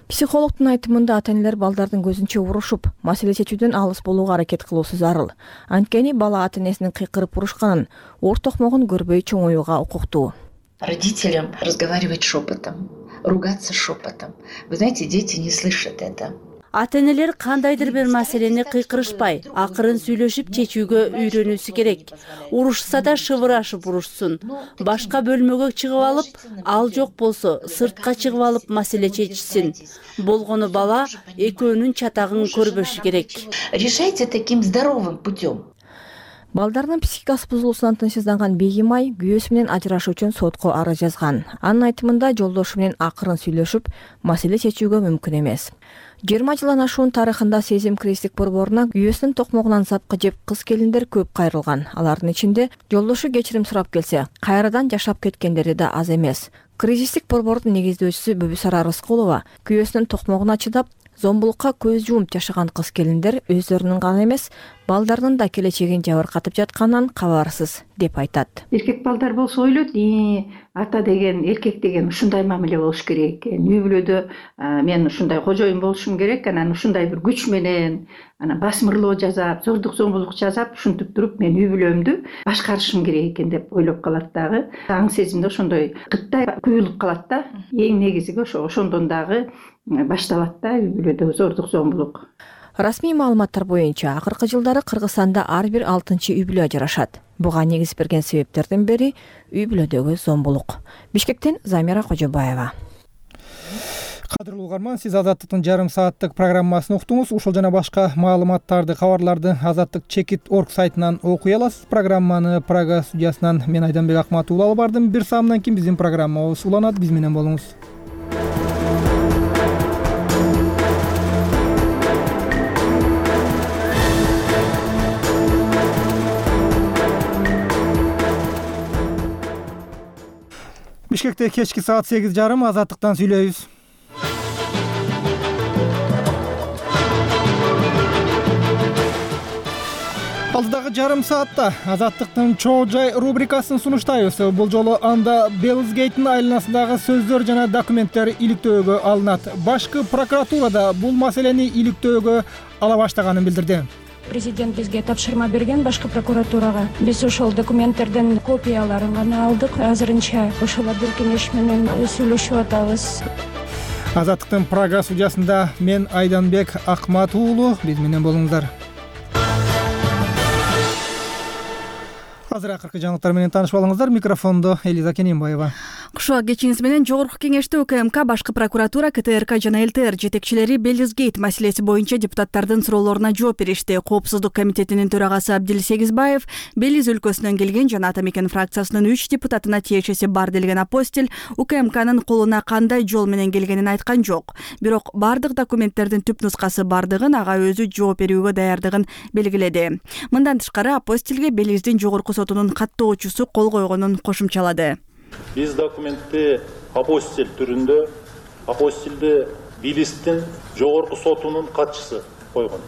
Психологдун айтымында ата-энелер балдардын көзүнчө урушуп, маселе чечүүдөн алыс болууга аракет кылуусу зарыл. Анткени бала ата-энесинин кыйкырып урушканын, ор токмогун көрбөй чоңоюуга укуктуу. Родителям разговаривать шепотом, ругаться шепотом. Вы знаете, дети не слышат это. Ата-энелер кандайдыр бир маселени кыйкырышпай, акырын сүйлөшүп чечүүгө үйрөнүүсү керек. Урушса да шыбырашып урушсун. Башка бөлмөгө чыгып алып, ал жок болсо, сыртка чыгып алып маселе чечишсин. Болгону бала экөөнүн чатагын көрбөшү керек. Решайте таким здоровым путем. Балдарынын психикасы бузулуусунан тынчсызданган Бегимай күйөөсү менен ажырашуу үчүн сотко арыз жазган. Анын айтымында жолдошу менен акырын сүйлөшүп, маселе чечүүгө мүмкүн эмес. 20 жылдан ашуун тарыхында Сезим кризистик борборуна күйөөсүнүн токмогунан запкы жеп кыз келиндер көп кайрылган. Алардын ичинде жолдошу кечирим сурап келсе, кайрадан жашап кеткендери да аз эмес. Кризистик борбордун негиздөөчүсү Бүбүсара Рыскулова күйөөсүнүн токмогуна чыдап, зомбулукка көз жумуп жашаган кыз келиндер өздөрүнүн гана эмес, балдардын да келечегин жабыркатып жатканынан кабарсыз деп айтат. Эркек балдар болсо ойлойт, ата деген, эркек деген ушундай мамиле болуш керек экен. Үй бүлөдө мен ушундай кожоюн болушум керек, анан ушундай бир күч менен, анан басмырлоо жасап, зордук зомбулук жасап, ушинтип туруп мен үй бүлөмдү башкарышым керек экен деп ойлоп калат дагы. Аң сезимде ошондой кыттай куюлуп калат да. Эң негизиги ошондон дагы башталат да үй бүлөдө зордук зомбулук. Расмий маалыматтар боюнча акыркы жылдары Кыргызстанда ар бир 6-чы үй бүлө ажырашат. Буга негиз берген себептердин бири үй бүлөдөгү зомбулук. Бишкектен Замира Кожобаева. Кадырлуу угарман, сиз Азаттыктын жарым сааттык программасын уктуңуз. Ушул жана башка маалыматтарды, кабарларды Азаттык.org сайтынан окуй аласыз. Программаны Прага студиясынан мен Айданбек Акматов алып бардым. Бир саамдан кийин биздин программабыз уланат. Биз менен болуңуз. Бишкекте кечки саат 8:30 Азаттыктан сүйлөйбүз. Алдыдагы жарым саатта Азаттыктын чоо жай рубрикасын сунуштайбыз. Бул жолу анда Беллсгейттин айланасындагы сөздөр жана документтер иликтөөгө алынат. Башкы прокуратурада бул маселени иликтөөгө ала баштаганын билдирди. Президент бизге тапшырма берген башкы прокуратурага. Биз ошол документтердин копияларын гана алдык. Азырынча ошолордун кеңеш менен сүйлөшүп атабыз. Азаттыктын Прага студиясында мен Айданбек Акматов уулу. Биз менен болуңуздар. Азыр акыркы жаңылыктар менен таанышып алыңыздар. Микрофондо Элиза Кененбаева. Кушуа кечиңиз менен Жогорку кеңеште УКМК, башкы прокуратура, КТРК жана ЛТР жетекчилери Беллсгейт маселеси боюнча депутаттардын суроолоруна жооп беришти. Коопсуздук комитетинин төрагасы Абдил Сегизбаев Белиз өлкөсүнөн келген жана Атамекен фракциясынын 3 депутатына тиешеси бар делген апостиль УКМКнын колуна кандай жол менен келгенин айткан жок. Бирок бардык документтердин түп нускасы бардыгын ага өзү жооп берүүгө даярдыгын белгиледи. Мындан тышкары апостилге Белиздин жогорку сотунун каттоочусу кол койгонун кошумчалады. Биз документти апостиль түрүндө апостилди Белиздин жогорку сотунун катчысы койгон.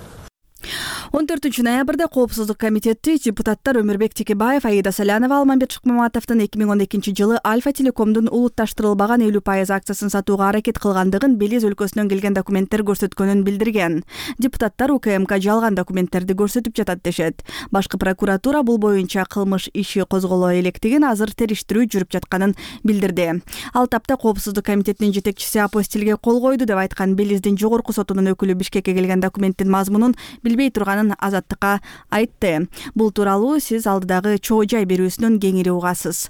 14 ноябрда Коопсуздук комитети депутаттар Өмүрбек Текебаев, Аида Салянова, Алмамбет Шыкмаматовдун 2012 жылы Альфа Телекомдун улутташтырылбаган 50% акциясын сатууга аракет кылгандыгын Белиз өлкөсүнөн келген документтер көрсөткөнүн билдирген. Депутаттар УКМК жалган документтерди көрсөтүп жатат дешет. Башкы прокуратура бул боюнча кылмыш иши козголо электигин, азыр териштирүү жүрүп жатканын билдирди. Ал тапта Коопсуздук комитетинин жетекчиси апостилге кол койду деп айткан Белиздин жогорку сотунун өкүлү Бишкекке келген документтин мазмунун билбей турганын Азаттыкка айтты. Бул тууралуу сиз алдыдагы чоо жай берүүсүнөн кеңири угасыз.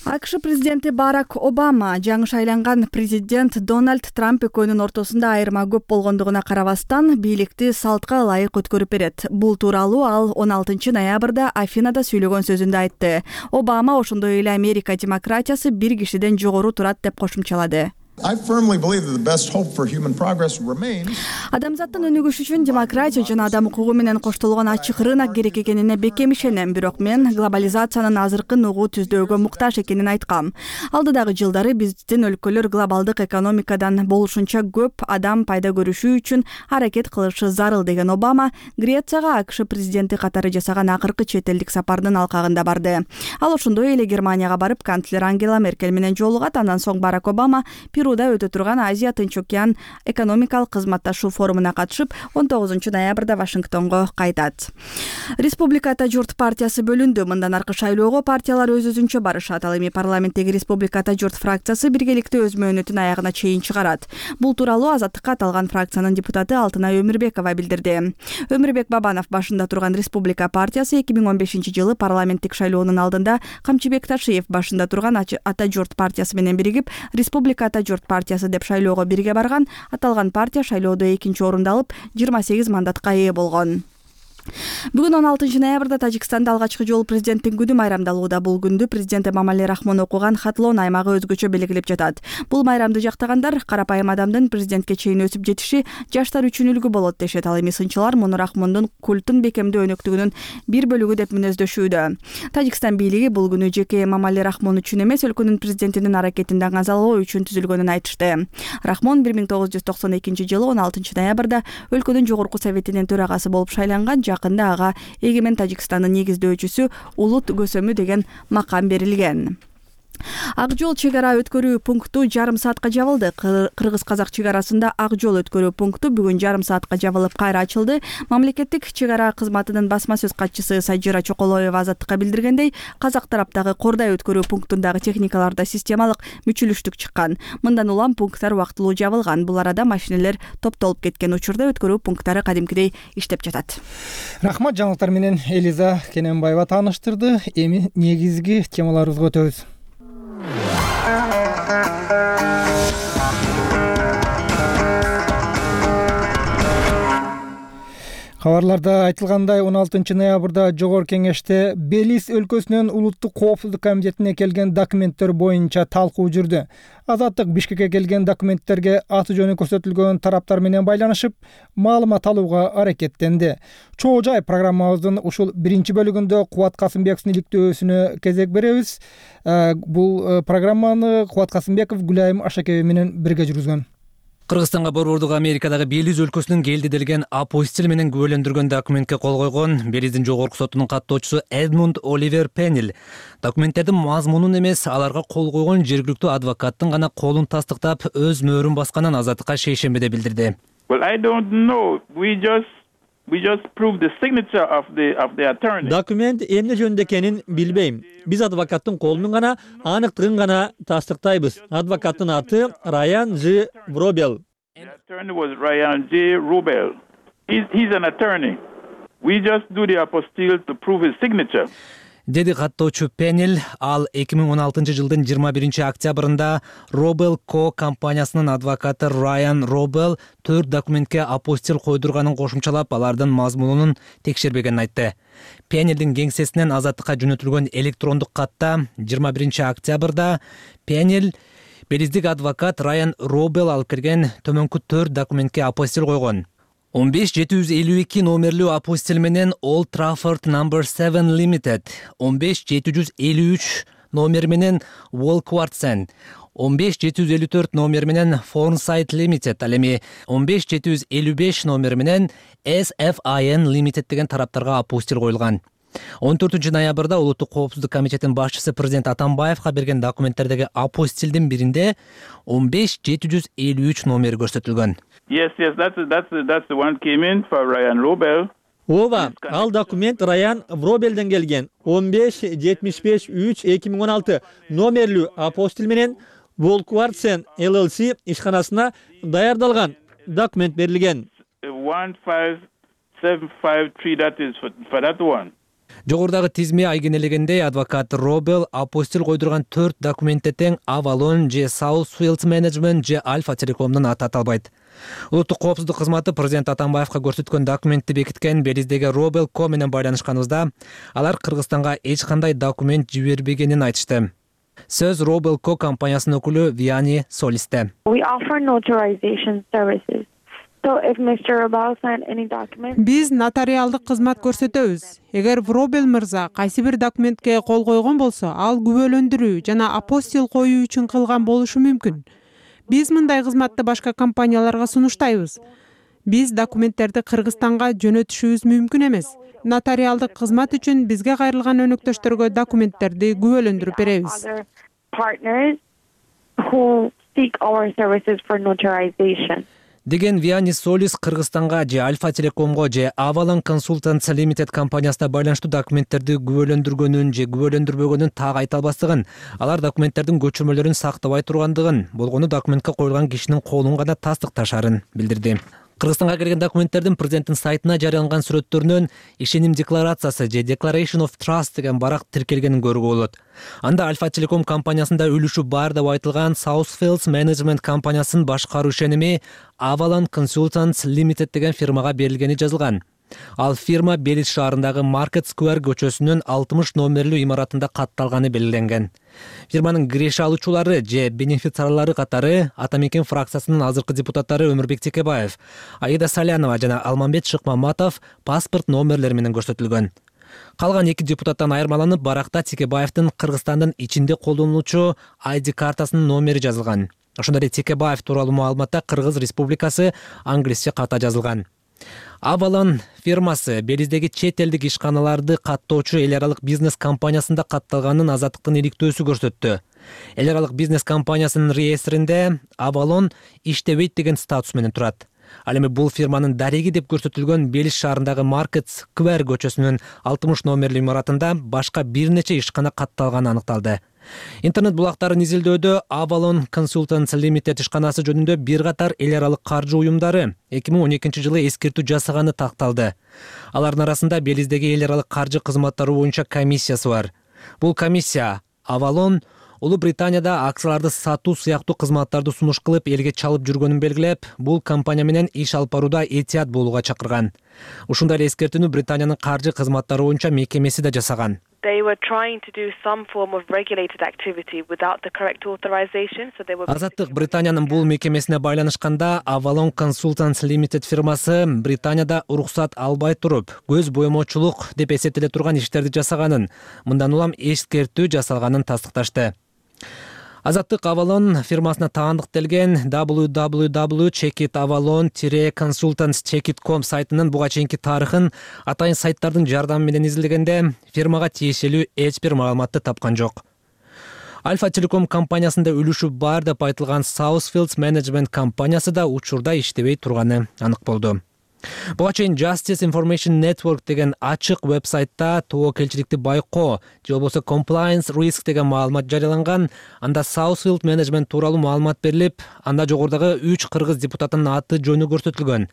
АКШ президенти Барак Обама жаңы шайланган президент Дональд Трамп экөөнүн ортосунда айырма көп болгондугуна карабастан бийликти салтка ылайык өткөрүп берет. Бул тууралуу ал 16 ноябрда Афинада сүйлөгөн сөзүндө айтты. Обама ошондой эле Америка демократиясы бир кишиден жогору турат деп кошумчалады. Адамзаттын өнүгүшү үчүн демократия жана адам укугу менен коштолгон ачык рынок керек экенине бекем ишенем, бирок мен глобализациянын азыркы нугу түздөөгө муктаж экенин айткам. Алдыдагы жылдары биздин өлкөлөр глобалдык экономикадан болушунча көп адам пайда көрүшү үчүн аракет кылышы зарыл деген Обама Грецияга АКШ президенти катары жасаган акыркы чет элдик сапардын алкагында барды. Ал ошондой эле Германияга барып канцлер Ангела Меркель менен жолугат. Андан соң Барак Обама Перуда өтө турган Азия Тынч океан экономикалык кызматташуу форумуна катышып 19 ноябрда Вашингтонго кайтат. Республиката журт партиясы бөлүндү. Мындан аркы шайлоого партиялар өз-өзүнчө барышат. Ал эми парламенттеги Республиката журт фракциясы биргеликте өз мөөнөтүн аягына чейин чыгарат. Бул тууралуу Азаттыкка аталган фракциянын депутаты Алтынай Өмүрбекова билдирди. Өмүрбек Бабанов башында турган Республика партиясы 2015 жылы парламенттик шайлоонун алдында Камчыбек Ташиев башында турган Ата журт партиясы менен биригип Республиката журт партиясы деп шайлоого бирге барган. Аталган партия шайлоодо 2-орунду алып 28 мандатка ээ болгон. Бүгүн 16 ноябрда Тажикстанда алгачкы жолу президенттин күнү майрамдалууда. Бул күндү президент Эмомали Рахмон окуган Хатлон аймагы өзгөчө белгилеп жатат. Бул майрамды жактагандар карапайым адамдын президентке чейин өсүп жетиши жаштар үчүн үлгү болот дешет. Ал эми сынчылар муну Рахмондун культун бекемдүү өнөктүгүнүн бир бөлүгү деп мүнөздөшүүдө. Тажикстан бийлиги бул күнү жеке Эмомали Рахмон үчүн эмес, өлкөнүн президентинин аракетин даңазалоо үчүн түзүлгөнүн айтышты. Рахмон 1992 жылы 16 ноябрда өлкөнүн жогорку советинин төрагасы болуп шайланган. Жакында ага эгемен Тажикстандын негиздөөчүсү, улут көсөмү деген макам берилген. Ак жол чек ара өткөрүү пункту жарым саатка жабылды. Кыргыз-казак чек арасында ак жол өткөрүү пункту бүгүн жарым саатка жабылып кайра ачылды. Мамлекеттик чек ара кызматынын басма сөз катчысы Сажира Чоколоева Азаттыкка билдиргендей, казак тараптагы Кордай өткөрүү пунктундагы техникаларда системалык мүчүлүштүк чыккан. Мындан улам пункттар убактылуу жабылган. Бул арада машинелер топтолуп кеткен учурда өткөрүү пункттары кадимкидей иштеп жатат. Рахмат, жаңылыктар менен Элиза Кененбаева тааныштырды. Эми негизги темаларыбызга өтөбүз. Кабарларда айтылгандай, 16 ноябрда Жогорку Кеңеште Белиз өлкөсүнүн улуттук коопсуздук комитетине келген документтер боюнча талкуу жүрдү. Азаттык Бишкекке келген документтерге аты жөнү көрсөтүлгөн тараптар менен байланышып, маалымат алууга аракеттенди. Чоо жай программабыздын ушул биринчи бөлүгүндө Кубат Касымбековдун иликтөөсүнө кезек беребиз. Бул программаны Кубат Касымбеков Гүлайым Ашакеева менен бирге жүргүзгөн. Кыргызстанга борбордук Америкадагы Белиз өлкөсүнүн келди делген апостил менен күбөлөндүргөн документке кол койгон Белиздин жогорку сотунун каттоочусу Эдмунд Оливер Пеннил документтердин мазмунун эмес, аларга кол койгон жергиликтүү адвокаттын гана колун тастыктап өз мөөрүн басканын Азаттыкка шейшембиде билдирди. Документ эмне жөнүндө экенин билбейм. Биз адвокаттын колунун гана аныктыгын гана тастыктайбыз. Адвокаттын аты Райан Ж. Вробел. Деди каттоочу Пеннил. Ал 2016 жылдын 21 октябрында Робел Ко компаниясынын адвокаты Райан Робел 4 документке апостил койдурганын кошумчалап, алардын мазмунун текшербегенин айтты. Пеннилдин кеңсесинен Азаттыкка жөнөтүлгөн электрондук катта 21 октябрда Пеннил Белиздик адвокат Райан Робел алып келген төмөнкү 4 документке апостил койгон. 15752 номерлүү апостил менен Old Trafford No. 7 Limited, 15753 номер менен Walkwartsen, 15754 номер менен Fornside Limited, ал эми 15755 номер менен SFIN Limited деген тараптарга апостил коюлган. 14 ноябрда Улуттук коопсуздук комитетинин башчысы президент Атамбаевка берген документтердеги апостилдин биринде 15753 номери көрсөтүлгөн. That's the one came in for Ryan Robel. Ооба, ал документ Раян Вробелден келген. 1575-3-2016 номерлүү апостил менен Walkwartsen LLC ишканасына даярдалган документ берилген. 15753, that is for that one. Жогорудагы тизме айгинелегендей, адвокат Робел апостил койдурган 4 документте тең Avalon же Southfield Management же Alpha Telecom'дун аты аталбайт. Улуттук коопсуздук кызматы президент Атамбаевка көрсөткөн документти бекиткен Белиздеги Робел Ко менен байланышканыбызда, алар Кыргызстанга эч кандай документ жибербегенин айтышты. Сөз Робел Ко компаниясынын өкүлү Виани Солисте. We offer notarization services. Биз нотариалдык кызмат көрсөтөбүз. Эгер Вробел мырза кайсы бир документке кол койгон болсо, ал күбөлөндүрүү жана апостил коюу үчүн кылган болушу мүмкүн. Биз мындай кызматты башка компанияларга сунуштайбыз. Биз документтерди Кыргызстанга жөнөтүшүбүз мүмкүн эмес. Нотариалдык кызмат үчүн бизге кайрылган өнөктөштөргө документтерди күбөлөндүрүп беребиз. Деген Виани Солис Кыргызстанга же Alpha Telecom'го же Avalon Consultants Limited компаниясына байланыштуу документтерди күбөлөндүргөнүн же күбөлөндүрбөгөнүн так айта албастыгын, алар документтердин көчүрмөлөрүн сактабай тургандыгын, болгону документке коюлган кишинин колун гана тастыкташарын билдирди. Кыргызстанга келген документтердин президенттин сайтына жарыяланган сүрөттөрүнөн ишеним декларациясы же Declaration of Trust деген барак тиркелгенин көрүүгө болот. Анда Alpha Telecom компаниясында үлүшү бар деп айтылган Southfield Management компаниясынын башкаруу ишеними Avalon Consultants Limited деген фирмага берилгени жазылган. Ал фирма Белиз шаарындагы Market Square көчөсүнүн 60 номерлүү имаратында катталганы белгиленген. Фирманын киреше алуучулары же бенефициарлары катары Атамекен фракциясынын азыркы депутаттары Өмүрбек Текебаев, Аида Салянова жана Алмамбет Шыкмаматов паспорт номерлери менен көрсөтүлгөн. Калган 2 депутаттан айырмаланып, баракта Текебаевдин Кыргызстандын ичинде колдонулуучу ID картасынын номери жазылган. Ошондой эле Текебаев тууралуу маалыматта Кыргыз Республикасы англисче ката жазылган. Avalon фирмасы Белиздеги чет элдик ишканаларды каттоочу эл аралык бизнес компаниясында катталганын Азаттыктын иликтөөсү көрсөттү. Эл аралык бизнес компаниясынын реестринде Avalon иштебейт деген статус менен турат. Ал эми бул фирманын дареги деп көрсөтүлгөн Белиз шаарындагы Market Square көчөсүнүн 60 номерлүү имаратында башка бир нече ишкана катталганы аныкталды. Интернет булактарын изилдөөдө Avalon Consultants Limited ишканасы жөнүндө бир катар эл аралык каржы уюмдары 2012 жылы эскертүү жасаганы такталды. Алардын арасында Белиздеги эл аралык каржы кызматтары боюнча комиссиясы бар. Бул комиссия Avalon Улуу Британияда акцияларды сатуу сыяктуу кызматтарды сунуш кылып элге чалып жүргөнүн белгилеп, бул компания менен иш алып барууда этият болууга чакырган. Ушундай эле эскертүүнү Британиянын каржы кызматтары боюнча мекемеси да жасаган. Азаттык Британиянын бул мекемесине байланышканда Avalon Consultants Limited фирмасы Британияда уруксат албай туруп, көз боемочулук деп эсептеле турган иштерди жасаганын, мындан улам эскертүү жасалганын тастыкташты. Азаттык Avalon фирмасына таандык делген www.checkitavalon-consultants.com сайтынын буга чейинки тарыхын атайын сайттардын жардамы менен изилдегенде фирмага тиешелүү эч бир маалыматты тапкан жок. Alfa Telecom компаниясында үлүшү бар деп айтылган Southfields Management компаниясы да учурда иштебей турганы анык болду. Буга чейин Justice Information Network деген ачык вебсайтта тобокелчиликти байкоо же болбосо Compliance Risk деген маалымат жарыяланган. Анда Southfield Management тууралуу маалымат берилип, анда жогорудагы 3 кыргыз депутатынын аты жөнү көрсөтүлгөн.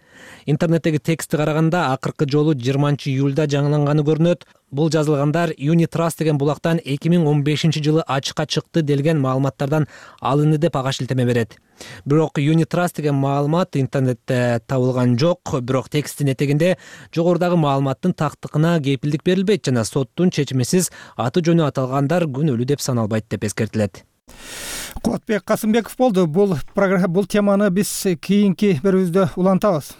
Интернеттеги текстти караганда акыркы жолу 20-июлда жаңыланганы көрүнөт. Бул жазылгандар Unitrust деген булактан 2015 жылы ачыкка чыкты делген маалыматтардан алынды деп ага шилтеме берет. Бирок Unitrust деген маалымат интернетте табылган жок, бирок тексттин этегинде жогорудагы маалыматтын тактыкына кепилдик берилбейт жана соттун чечимисиз аты жөнү аталгандар күнөөлүү деп саналбайт деп эскертилет. Кубатбек Касымбеков болду. Бул теманы биз кийинки берүүбүздө улантабыз.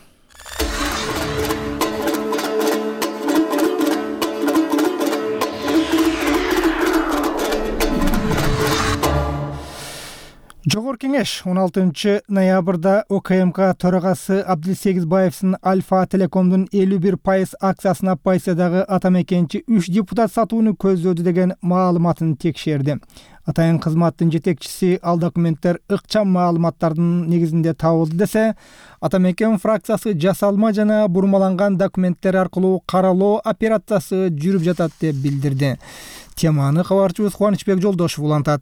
Жогорку кеңеш 16 ноябрда ОКМК төрагасы Абдилсегизбаевдин Alfa Telecom'дун 51% акциясына Пайсядагы атамекенчи 3 депутат сатууну көздөөдү деген маалыматын текшерди. Атайын кызматтын жетекчиси ал документтер ыкчам маалыматтардын негизинде табылды десе, Атамекен фракциясы жасалма жана бурмаланган документтер аркылуу каралоо операциясы жүрүп жатат деп билдирди. Теманы кабарчыбыз Кубанычбек Жолдошев улантат.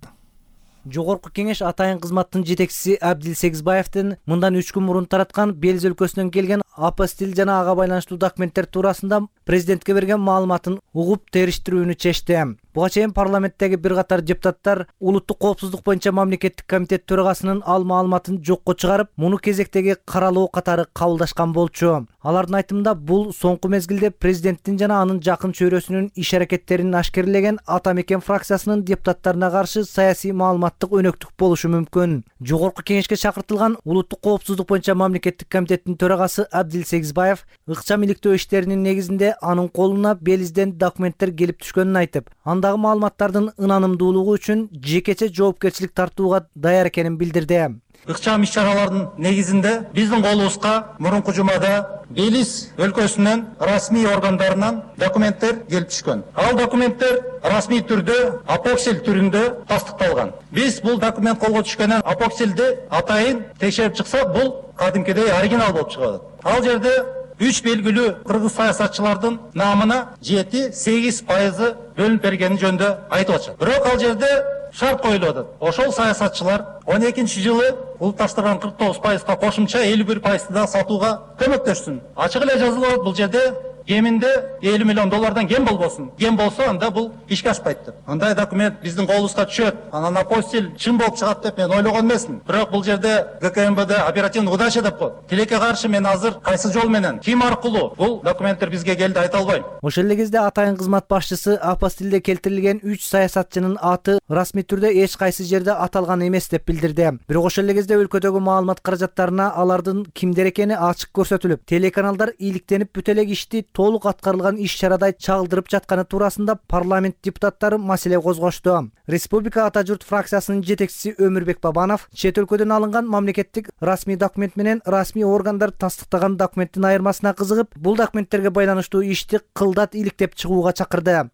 Жогорку кеңеш атайын кызматтын жетекчиси Абдилсегизбаевдин мындан 3 күн мурун тараткан Белиз өлкөсүнөн келген апостил жана ага байланыштуу документтер туурасында президентке берген маалыматын угуп териштирүүнү чечти. Буга чейин парламенттеги бир катар депутаттар улуттук коопсуздук боюнча мамлекеттик комитет төрагасынын ал маалыматын жокко чыгарып, муну кезектеги каралоо катары кабылдашкан болчу. Алардын айтымында бул соңку мезгилде президенттин жана анын жакын чөйрөсүнүн иш-аракеттерин ашкерлеген Атамекен фракциясынын депутаттарына каршы саясий маалыматтык өнөктүк болушу мүмкүн. Жогорку кеңешке чакыртылган улуттук коопсуздук боюнча мамлекеттик комитеттин төрагасы Абдилсегизбаев ыкчам иликтөө иштеринин негизинде анын колуна Белизден документтер келип түшкөнүн айтып, андагы маалыматтардын ынанымдуулугу үчүн жекече жоопкерчилик тартууга даяр экенин билдирди. Ыкчам иш-чаралардын негизинде биздин колубузга мурунку жумада Белиз өлкөсүнүн расмий органдарынан документтер келип түшкөн. Ал документтер расмий түрдө апоксил түрүндө тастыкталган. Биз бул документ колго түшкөндөн апоксилди атайын текшерип чыксак, бул кадимкидей оригинал болуп чыгат. Ал жерде 3 белгилүү кыргыз саясатчылардын намына 7-8% бөлүнүп бергени жөнүндө айтып атышат. Бирок ал жерде шарт коюлуп атат. Ошол саясатчылар 12 жылы улутташтырган 49%га кошумча 51%ды да сатууга көмөктөшсүн. Ачык эле жазылып, бул жерде кеминде 50 миллион доллардан кем болбосун. Кем болсо анда бул ишке ашпайт деп. Андай документ биздин колубузга түшөт. Анан апостиль чын болуп чыгат деп мен ойлогон эмесмин. Бирок бул жерде ГКМБД оперативный удача деп коет. Тилекке каршы мен азыр кайсы жол менен, ким аркылуу бул документтер бизге келди айта албайм. Ошол эле кезде атайын кызмат башчысы апостилде келтирилген 3 саясатчынын аты расмий түрдө эч кайсы жерде аталган эмес деп билдирди. Бирок ошол эле кезде өлкөдөгү маалымат каражаттарына алардын кимдер экени ачык көрсөтүлүп, телеканалдар ийгиликтенип бүт элек ишти толук аткарылган иш-чарадай чагылдырып жатканы туурасында парламент депутаттары маселе козгошту. Республика Ата журт фракциясынын жетекчиси Өмүрбек Бабанов чет өлкөдөн алынган мамлекеттик расмий документ менен расмий органдар тастыктаган документтин айырмасына кызыгып, бул документтерге байланыштуу ишти кылдат иликтеп чыгууга чакырды.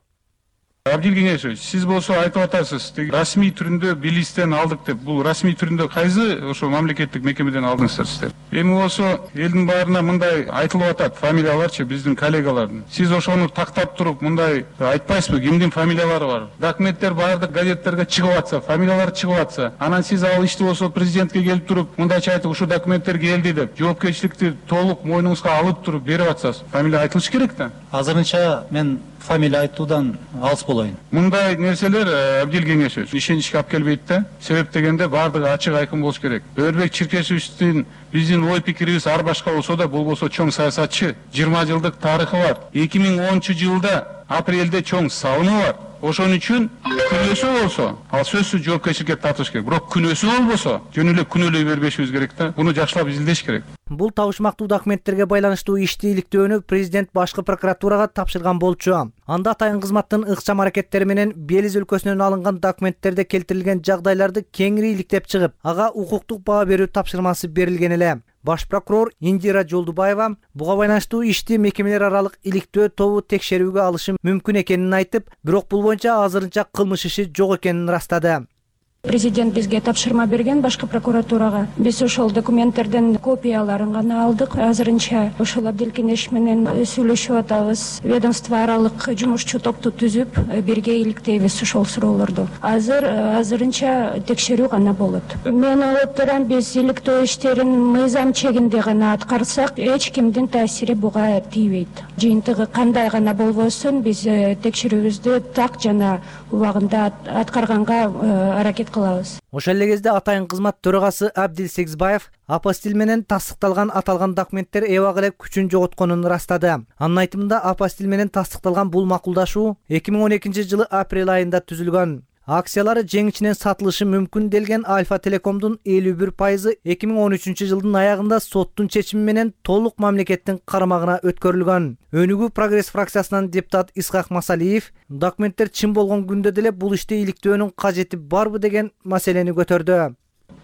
Абдил Кеңешевич, сиз болсо айтып атасыз, расмий түрүндө билистен алдык деп. Бул расмий түрүндө кайсы ошо мамлекеттик мекемеден алдыңыздар сиздер? Эми болсо элдин баарына мындай айтылып атат, фамилияларчы биздин коллегалардын. Сиз ошону тактап туруп мындай айтпайсызбы, кимдин фамилиялары бар? Документтер баардык газеттерге чыгып атса, фамилиялары чыгып атса, анан сиз ал ишти болсо президентке келип туруп, мындайча айтып, ушул документтер келди деп, жоопкерчиликти толук мойнуңузга алып туруп берип атсаңыз, фамилия айтылыш керек да. Азырынча мен фамилия айтуудан алыс болоюн. Мындай нерселер Абдил Кеңешевич ишеничке алып келбейт да. Себеп дегенде баардыгы ачык айкын болуш керек. Өрбек Чиркешевичтин биздин ой пикирибиз ар башка болсо да, бул болсо чоң саясатчы, 20 жылдык тарыхы бар. 2010-жылда апрелде чоң салымы бар. Ошон үчүн күнөөсү болсо, ал сөзсүз жоопкерчиликке тартыш керек. Бирок күнөөсү болбосо, жөн эле күнөөлөй бербешибиз керек да. Буну жакшылап изилдеш керек. Бул табышмактуу документтерге байланыштуу ишти иликтөөнү президент башкы прокуратурага тапшырган болчу. Анда атайын кызматтын ыкчам аракеттери менен Белиз өлкөсүнөн алынган документтерде келтирилген жагдайларды кеңири иликтеп чыгып, ага укуктук баа берүү тапшырмасы берилген эле. Баш прокурор Индира Жолдубаева буга байланыштуу ишти мекемелер аралык иликтөө тобу текшерүүгө алышы мүмкүн экенин айтып, бирок бул боюнча азырынча кылмыш иши жок экенин ырастады. Президент бизге тапшырма берген башкы прокуратурага. Биз ошол документтердин копияларын гана алдык. Азырынча ошол Абдил Кеңеш менен сүйлөшүп атабыз. Ведомство аралык жумушчу топту түзүп, бирге иликтейбиз ошол суроолорду. Азырынча текшерүү гана болот. Мен ойлоп турам, биз иликтөө иштерин мыйзам чегинде гана аткарсак, эч кимдин таасири буга тийбейт. Жыйынтыгы кандай гана болбосун, биз текшерүүбүздү так жана убагында аткарганга аракет кылабыз. Ошол эле кезде атайын кызмат төрагасы Абдил Сегизбаев апостиль менен тастыкталган аталган документтер эбак эле күчүн жоготконун ырастады. Анын айтымында апостиль менен тастыкталган бул макулдашуу 2012-жылы апрель айында түзүлгөн. Акциялары жеңичинен сатылышы мүмкүн делген Альфа Телекомдун 51% 2013-жылдын аягында соттун чечими менен толук мамлекеттин карамагына өткөрүлгөн. Өнүгүү Прогресс фракциясынан депутат Исхак Масалиев документтер чын болгон күндө деле бул ишти иликтөөнүн кажети барбы деген маселени көтөрдү.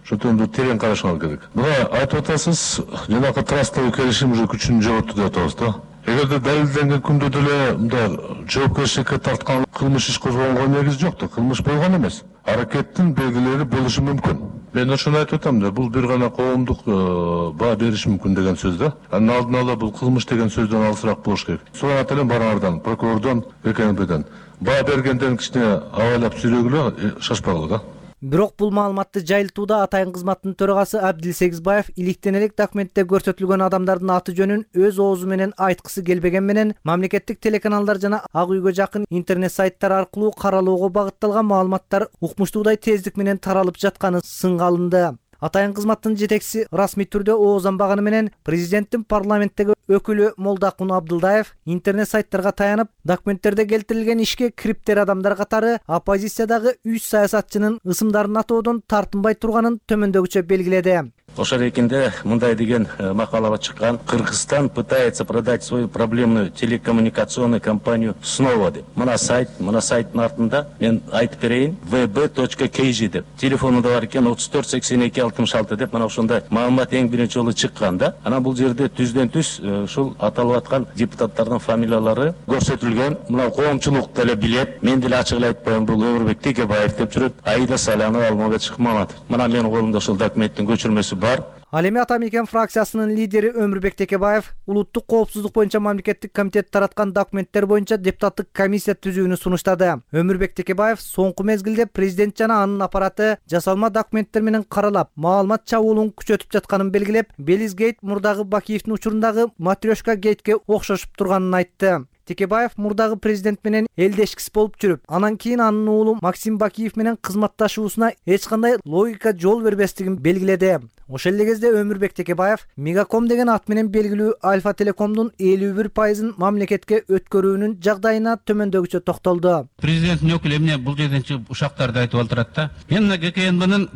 Шотунду терең карашыңар керек. Мына айтып атасыз, жанакы трастовый келишим уже күчүн жоготту деп атабыз да. Эгерде далилденген күндө деле мындай жоопкерчиликке тарткан кылмыш иш козгогонго негиз жок да, кылмыш болгон эмес. Аракеттин белгилери болушу мүмкүн. Мен ошону айтып атам да, бул бир гана коомдук баа бериш мүмкүн деген сөз да. Анын алдын ала бул кылмыш деген сөздөн алысыраак болуш керек. Сурап элем барыңардан, прокурордон, ГКМБден. Баа бергенден кичине абайлап сүйлөгүлө, шашпагыла да. Бирок бул маалыматты жайылтууда атайын кызматтын төрагасы Абдил Сегизбаев иликтен элек документте көрсөтүлгөн адамдардын аты жөнүн өз оозу менен айткысы келбеген менен мамлекеттик телеканалдар жана ак үйгө жакын интернет сайттар аркылуу каралоого багытталган маалыматтар укмуштуудай тездик менен таралып жатканы сынга алынды. Атайын кызматтын жетекчиси расмий түрдө оозданбаганы менен президенттин парламенттеги өкүлү Молдакун Абдылдаев интернет сайттарга таянып, документтерде келтирилген ишке криптер адамдар катары оппозициядагы 3 саясатчынын ысымдарын атоодон тартынбай турганын төмөндөгүчө белгиледи. Ошол экинде мындай деген макалага чыккан: Кыргызстан пытается продать свою проблемную телекоммуникационную компанию снова деп. Мына сайттын артында мен айтып берейин, vb.kg деп. Телефонунда бар экен 34 82 66 деп. Мына ошондой маалымат эң биринчи жолу чыккан да. Анан бул жерде түздөн түз ушул аталып аткан депутаттардын фамилиялары көрсөтүлгөн. Мына коомчулук деле билет. Мен деле ачык эле айтпайм, бул Өмүрбек Текебаев деп жүрөт. Аида Салянова, Алмабек Шыкмаматов. Мына менин колумда ошол документтин көчүрмөсү бар. Ал эми ата мекен фракциясынын лидери Өмүрбек Текебаев улуттук коопсуздук боюнча мамлекеттик комитет тараткан документтер боюнча депутаттык комиссия түзүүнү сунуштады. Өмүрбек Текебаев соңку мезгилде президент жана анын аппараты жасалма документтер менен каралап, маалымат чабуулун күчөтүп жатканын белгилеп, Белиз гейт мурдагы Бакиевдин учурундагы Матрешка гейтке окшошуп турганын айтты. Текебаев мурдагы президент менен элдешкис болуп жүрүп, анан кийин анын уулу Максим Бакиев менен кызматташуусуна эч кандай логика жол бербестигин белгиледи. Ошол эле кезде Өмүрбек Текебаев Мегаком деген ат менен белгилүү Альфа Телекомдун 51% мамлекетке өткөрүүнүн жагдайына төмөндөгүчө токтолду. Президенттин өкүлү эмне бул жерден чыгып ушактарды айтып отурат да. Мен мына ГКНБнын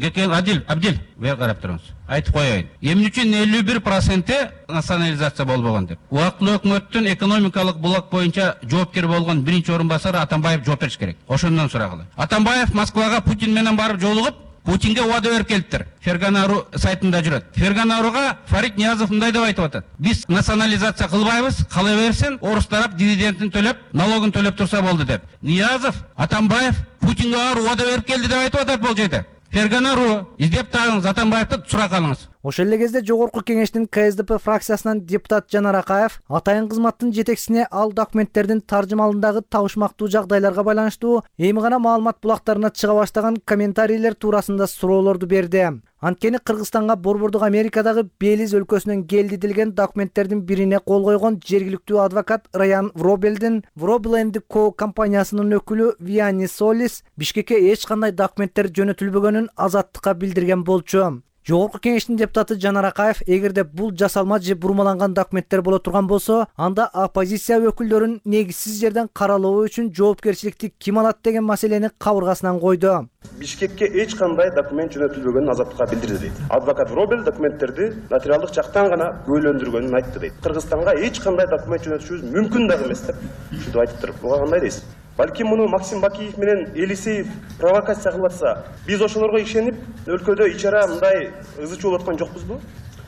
Абдил бер карап туруңуз. Айтып коеюн. Эмне үчүн 51% национализация болбогон деп. Убактылуу өкмөттүн экономикалык блок боюнча жоопкер болгон биринчи орун басары Атамбаев жооп бериш керек. Ошондон сурагыла. Атамбаев Москвага Путин менен барып жолугуп, Путинге убада берип келиптир. Ферганару сайтында жүрөт. Ферганаруга Фарид Ниязов мындай деп айтып атат. Биз национализация кылбайбыз, кала берсин, орус тарап дивидендин төлөп, налогун төлөп турса болду деп. Ниязов, Атамбаев Путинге убада берип келди деп айтып атат бул жерде. Ферганару издеп тагыңыз, Атамбаевди сурак алыңыз. Ошол эле кезде жогорку кеңештин КСДП фракциясынан депутат Жанар Акаев атайын кызматтын жетекчисине ал документтердин таржымалындагы табышмактуу жагдайларга байланыштуу эми гана маалымат булактарына чыга баштаган комментарийлер туурасында суроолорду берди. Анткени Кыргызстанга борбордук Америкадагы Белиз өлкөсүнөн келди делген документтердин бирине кол койгон жергиликтүү адвокат Раян Вробелдин Вробел & Co компаниясынын өкүлү Виани Солис Бишкекке эч кандай документтер жөнөтүлбөгөнүн Азаттыкка билдирген болчу. Жогорку кеңештин депутаты Жанар Акаев эгерде бул жасалма же бурмаланган документтер боло турган болсо, анда оппозиция өкүлдөрүн негизсиз жерден каралоо үчүн жоопкерчиликти ким алат деген маселени кабыргасынан койду. Бишкекке эч кандай документ жөнөтүлбөгөнүн Азаттыкка билдирди дейт. Адвокат Вробел документтерди нотариалдык жактан гана бөлөндүргөнүн айтты дейт. Кыргызстанга эч кандай документ жөнөтүшүбүз мүмкүн дагы эмес деп ушинтип айтыптыр. Буга кандай дейсиз? Балким муну Максим Бакиев менен Елисеев провокация кылып атса, биз ошолорго ишенип, өлкөдө ичара мындай ызы чуу болуп аткан жокпузбу?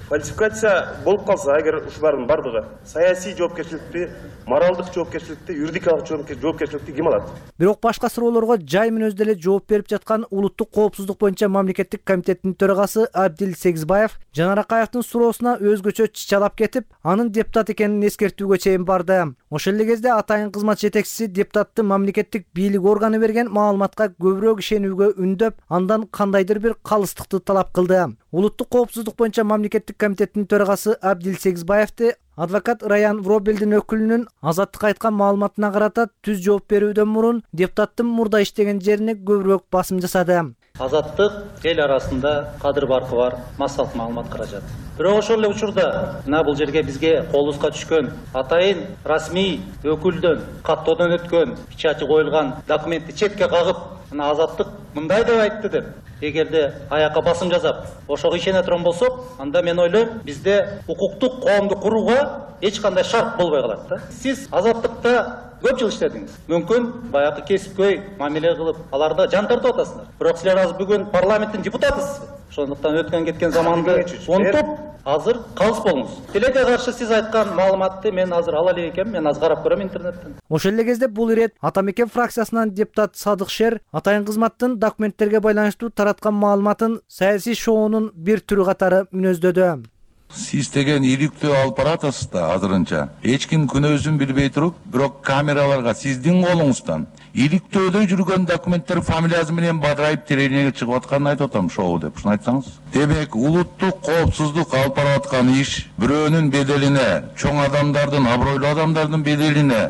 Фальсификация болуп калса, эгер ушулардын бардыгы саясий жоопкерчиликти, моралдык жоопкерчиликти, юридикалык жоопкерчиликти ким алат? Бирок башка суроолорго жай мүнөздө эле жооп берип жаткан улуттук коопсуздук боюнча мамлекеттик комитеттин төрагасы Абдил Сегизбаев Жанар Акаевдин суроосуна өзгөчө чычалап кетип, анын депутат экенин эскертүүгө чейин барды. Ошол эле кезде атайын кызмат жетекчиси депутатты мамлекеттик бийлик органы берген маалыматка көбүрөөк ишенүүгө үндөп, андан кандайдыр бир калыстыкты талап кылды. Улуттук коопсуздук боюнча мамлекеттик комитеттин төрагасы Абдил Сегизбаевди адвокат Раян Вробелдин өкүлүнүн Азаттыкка айткан маалыматына карата түз жооп берүүдөн мурун депутаттын мурда иштеген жерине көбүрөөк басым жасады. Азаттык эл арасында кадыр баркы бар массалык маалымат каражат. Бирок ошол эле учурда мына бул жерге бизге колубузга түшкөн атайын расмий өкүлдөн каттоодон өткөн печати коюлган документти четке кагып, мына Азаттык мындай деп айтты деп эгерде аякка басым жасап ошого ишене турган болсок, анда мен ойлойм бизде укуктук коомду курууга эч кандай шарт болбой калат да. Сиз Азаттыкта көп жыл иштедиңиз. Мүмкүн баягы кесипкөй мамиле кылып, аларда жан тартып атасыңар. Бирок силер азыр бүгүн парламенттин депутатысыз. Ошондуктан өткөн кеткен заманды унутуп, азыр калыс болуңуз. Тилекке каршы сиз айткан маалыматты мен азыр ала элек экенмин, мен азыр карап көрөм интернеттен. Ошол эле кезде бул ирет Ата мекен фракциясынан депутат Садык Шер атайын кызматтын документтерге байланыштуу тараткан маалыматын саясий шоунун бир түрү катары мүнөздөдү. Сиз деген иликтөө алып баратасыз да азырынча. Эч ким күнөөсүн билбей туруп, бирок камераларга сиздин колуңуздан иликтөөдө жүргөн документтер фамилиясы менен бадырайып телевидениеге чыгып атканын айтып атам, шоу деп. Ушуну айтсаңыз. Демек, улуттук коопсуздук алып барып аткан иш бирөөнүн беделине, чоң адамдардын, абройлуу адамдардын беделине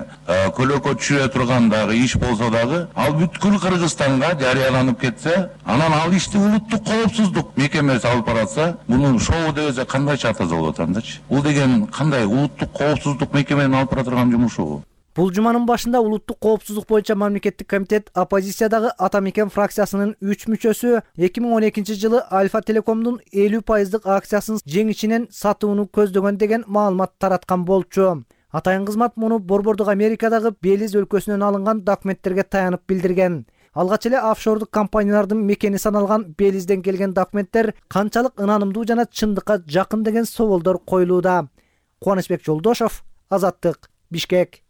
көлөкө түшүрө турган дагы иш болсо дагы, ал бүткүл Кыргызстанга жарыяланып кетсе, анан ал ишти улуттук коопсуздук мекемеси алып баратса, муну шоу десе кандай чатаза болот андачы? Бул деген кандай улуттук коопсуздук мекеменин алып бара турган жумушу? Бул жуманын башында улуттук коопсуздук боюнча мамлекеттик комитет оппозициядагы Ата мекен фракциясынын 3 мүчөсү 2012 жылы Альфа Телекомдун 50% акциясын жеңишинен сатууну көздөгөн деген маалымат тараткан болчу. Атайын кызмат муну борбордук Америкадагы Белиз өлкөсүнөн алынган документтерге таянып билдирген. Алгач эле офшордук компаниялардын мекени саналган Белизден келген документтер канчалык ынанымдуу жана чындыкка жакын деген соолдор коюлууда. Кубанычбек Жолдошов, Азаттык, Бишкек.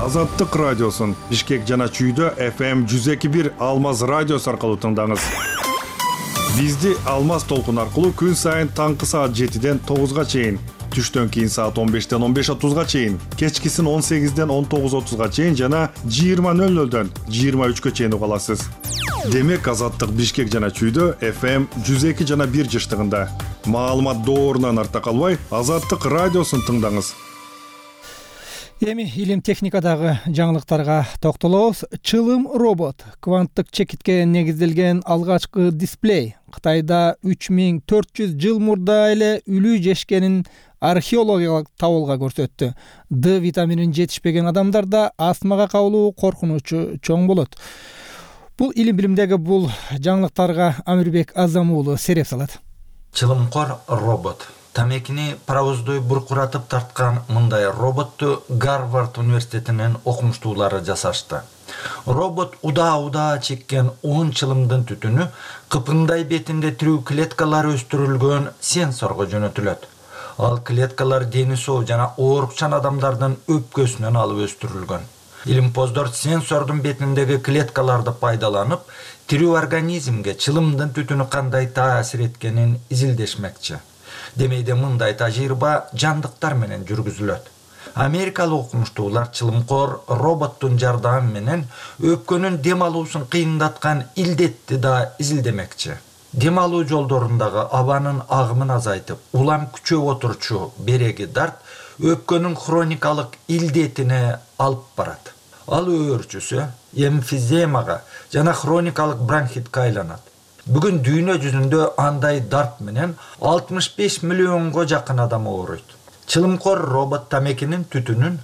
Азаттык радиосун Бишкек жана Чүйдө FM 102.1 Алмаз радиосу аркылуу тыңдаңыз. Бизди Алмаз толкун аркылуу күн сайын таңкы саат 7ден 9га чейин, түштөн кийин саат 15ден 15:30га чейин, кечкисин 18ден 19:30га чейин жана 20:00дөн 23гө чейин уга аласыз. Демек Азаттык Бишкек жана Чүйдө FM 102 жана 1 жыштыгында. Маалымат доорунан арта калбай, Азаттык радиосун тыңдаңыз. Эми илим техникадагы жаңылыктарга токтолобуз. Чылым робот кванттык чекитке негизделген алгачкы дисплей. Кытайда 3400 жыл мурда эле үлү жешкенин археологиялык табылга көрсөттү. D витаминин жетишпеген адамдарда астмага кабылуу коркунучу чоң болот. Бул илим билимдеги бул жаңылыктарга Амирбек Азам уулу сереп салат. Чылымкор робот. Тамекини паровоздой буркуратып тарткан мындай роботту Гарвард университетинин окумуштуулары жасашты. Робот удаа чеккен 10 чылымдын түтүнү кыпындай бетинде тирүү клеткалар өстүрүлгөн сенсорго жөнөтүлөт. Ал клеткалар дени соо жана оорукчан адамдардын өпкөсүнөн алып өстүрүлгөн. Илимпоздор сенсордун бетиндеги клеткаларды пайдаланып, тирүү организмге чылымдын түтүнү кандай таасир эткенин изилдешмекчи. Демейде мындай тажрыйба жандыктар менен жүргүзүлөт. Америкалык окумуштуулар чылымкор роботтун жардамы менен өпкөнүн дем алуусун кыйындаткан илдетти да изилдемекчи. Дем алуу жолдорундагы абанын агымын азайтып, улам күчөп отурчу береги дарт өпкөнүн хроникалык илдетине алып барат. Ал өөрчүсү эмфиземага жана хроникалык бронхитке айланат. Бүгүн дүйнө жүзүндө андай дарт менен 65 миллионго жакын адам ооруйт. Чылымкор робот тамекинин түтүнүн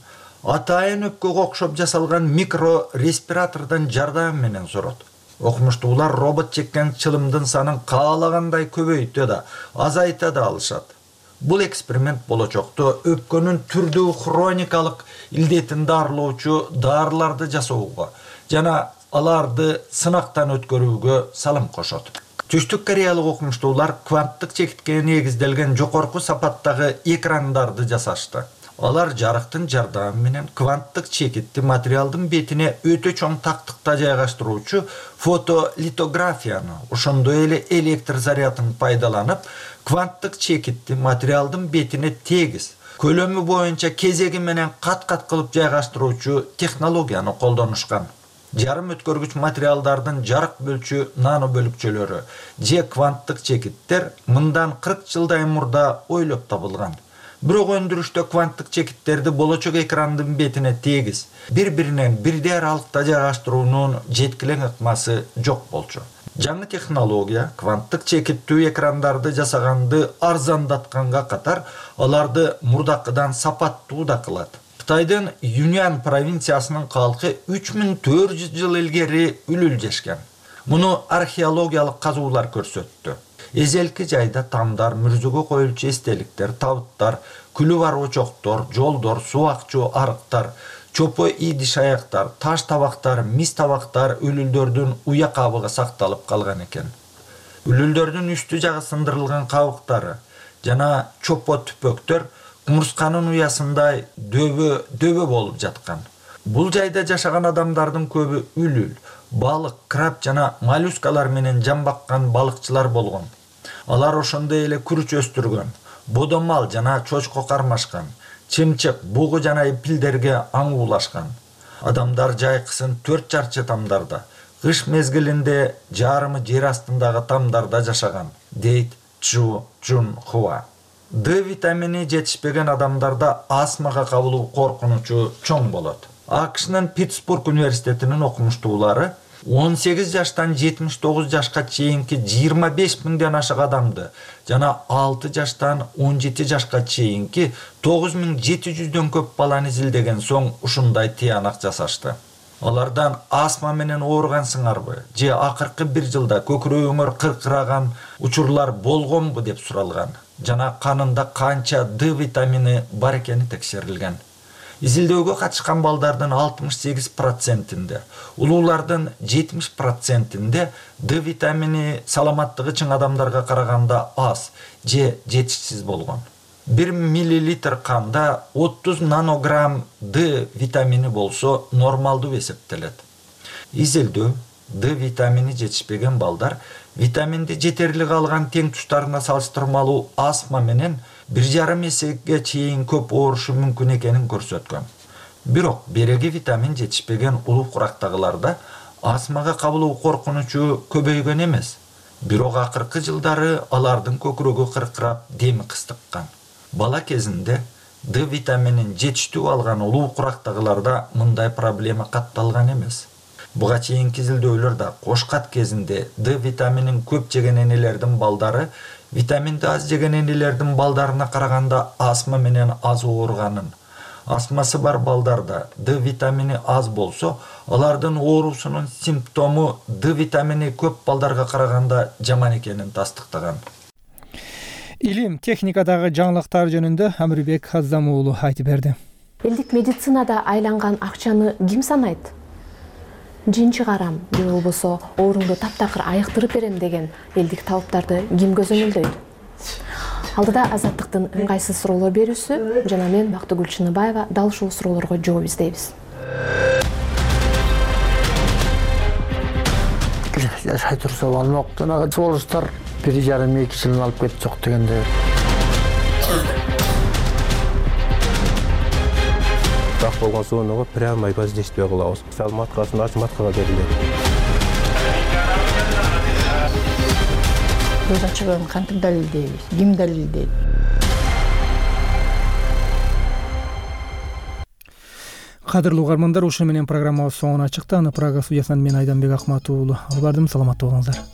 атайын өпкөгө окшоп жасалган микро респиратордон жардамы менен сорот. Окумуштуулар робот чеккен чылымдын санын каалагандай көбөйтө да, азайта да алышат. Бул эксперимент болочокто өпкөнүн түрдүү хроникалык илдетин дарылоочу дарыларды жасоого жана аларды сынактан өткөрүүгө салым кошот. Түштүк Кореялык окумуштуулар кванттык чекитке негизделген жогорку сапаттагы экрандарды жасашты. Алар жарыктын жардамы менен кванттык чекитти материалдын бетине өтө чоң тактыкта жайгаштыруучу фотолитографияны, ошондой эле электр зарядын пайдаланып, кванттык чекитти материалдын бетине тегиз, көлөмү боюнча кезеги менен кат-кат кылып жайгаштыруучу технологияны колдонушкан. Жарым өткөргүч материалдардын жарык бөлчү нано бөлүкчөлөрү же кванттык чекиттер мындан 40 жылдай мурда ойлоп табылган. Бирок өндүрүштө кванттык чекиттерди болочок экрандын бетине тегиз, бири-биринен бирдей аралыкта жайгаштыруунун жеткилең ыкмасы жок болчу. Жаңы технология кванттык чекиттүү экрандарды жасаганды арзандатканга катар, аларды мурдакыдан сапаттуу да кылат. Кытайдын Юньан провинциясынын калкы 3400 жыл илгери үлүл жешкен. Муну археологиялык казуулар көрсөттү. Эзелки жайда тамдар, мүрзөгө коюлчу эстеликтер, табыттар, күлү бар очоктор, жолдор, субакчу арыктар, чопо идиш аяктар, таш табактар, мис табактар үлүлдөрдүн уя кабыгы сакталып калган экен. Үлүлдөрдүн үстү жагы сындырылган кабыктары жана чопо түпөктөр кумурсканын уясындай дөбө болуп жаткан. Бул жайда жашаган адамдардын көбү үлүл, балык, краб жана моллюскалар менен жамбаккан балыкчылар болгон. Алар ошондой эле күрүч өстүргөн, бодомал жана чочко кармашкан, чымчык, бугу жана эпилдерге аңуулашкан. Адамдар жайкысын 4 чарчы тамдарда, кыш мезгилинде жарымы жер астындагы тамдарда жашаган, дейт Чжу Чжун Хуа. D витамини жетишпеген адамдарда астмага кабылуу коркунучу чоң болот. АКШнын Питтсбург университетинин окумуштуулары 18 жаштан 79 жашка чейинки 25 миңден ашык адамды жана 6 жаштан 17 жашка чейинки 9700дөн көп баланы изилдеген соң ушундай тыянак жасашты. Алардан астма менен ооругансыңарбы же акыркы 1 жылда көкүрөгүңөр кыркыраган учурлар болгонбу деп суралган. Жана канында канча D витамини бар экени текшерилген. Изилдөөгө катышкан балдардын 68%-inde, улуулардын 70%-inde D витамини саламаттыгы чың адамдарга караганда аз же жетишсиз болгон. 1 миллилитр канда 30 нанограмм D витамини болсо нормалдуу эсептелет. Изилдөө Д витамини жетишпеген балдар витаминди жетерлик алган тең туштарына салыштырмалуу астма менен 1,5 эсеге чейин көп оорушу мүмкүн экенин көрсөткөн. Бирок береги витамин жетишпеген улуу курактагыларда астмага кабылуу коркунучу көбөйгөн эмес. Бирок акыркы жылдары алардын көкүрөгү кыркырап, деми кыстыккан. Бала кезинде Д витаминин жетиштүү алган улуу курактагыларда мындай проблема катталган эмес. Буга чейинки изилдөөлөрдө кошкат кезинде Д витаминин көп жеген энелердин балдары витаминди аз жеген энелердин балдарына караганда астма менен аз ооруганын, астмасы бар балдарда Д витамини аз болсо, алардын оорусунун симптому Д витамини көп балдарга караганда жаман экенин тастыктаган. Илим техникадагы жаңылыктар жөнүндө Амирбек Аздам уулу айтып берди. Элдик медицинада айланган акчаны ким санайт? Жин чыгарам же болбосо оорумду таптакыр айыктырып берем деген элдик талаптарды ким көзөмөлдөйт? Алдыда Азаттыктын ыңгайсыз суроолор берүүсү жана мен Бактыгүл Чыныбаева дал ушул суроолорго жооп издейбиз. Жашай турса болмоктун ага жолуштар 1,5-2 жылын алып кетип жок дегенде. Так болгон сууну прямо воздействие кылабыз. Мисалы маткасын ачып маткага берилет. Көз ачыгын кантип далилдейбиз? Ким далилдейт? Кадырлуу угармандар, ушуну менен программабыз соңуна чыкты. Аны Прага студиясынан мен Айданбек Акматов уулу алып бардым. Саламатта болуңуздар.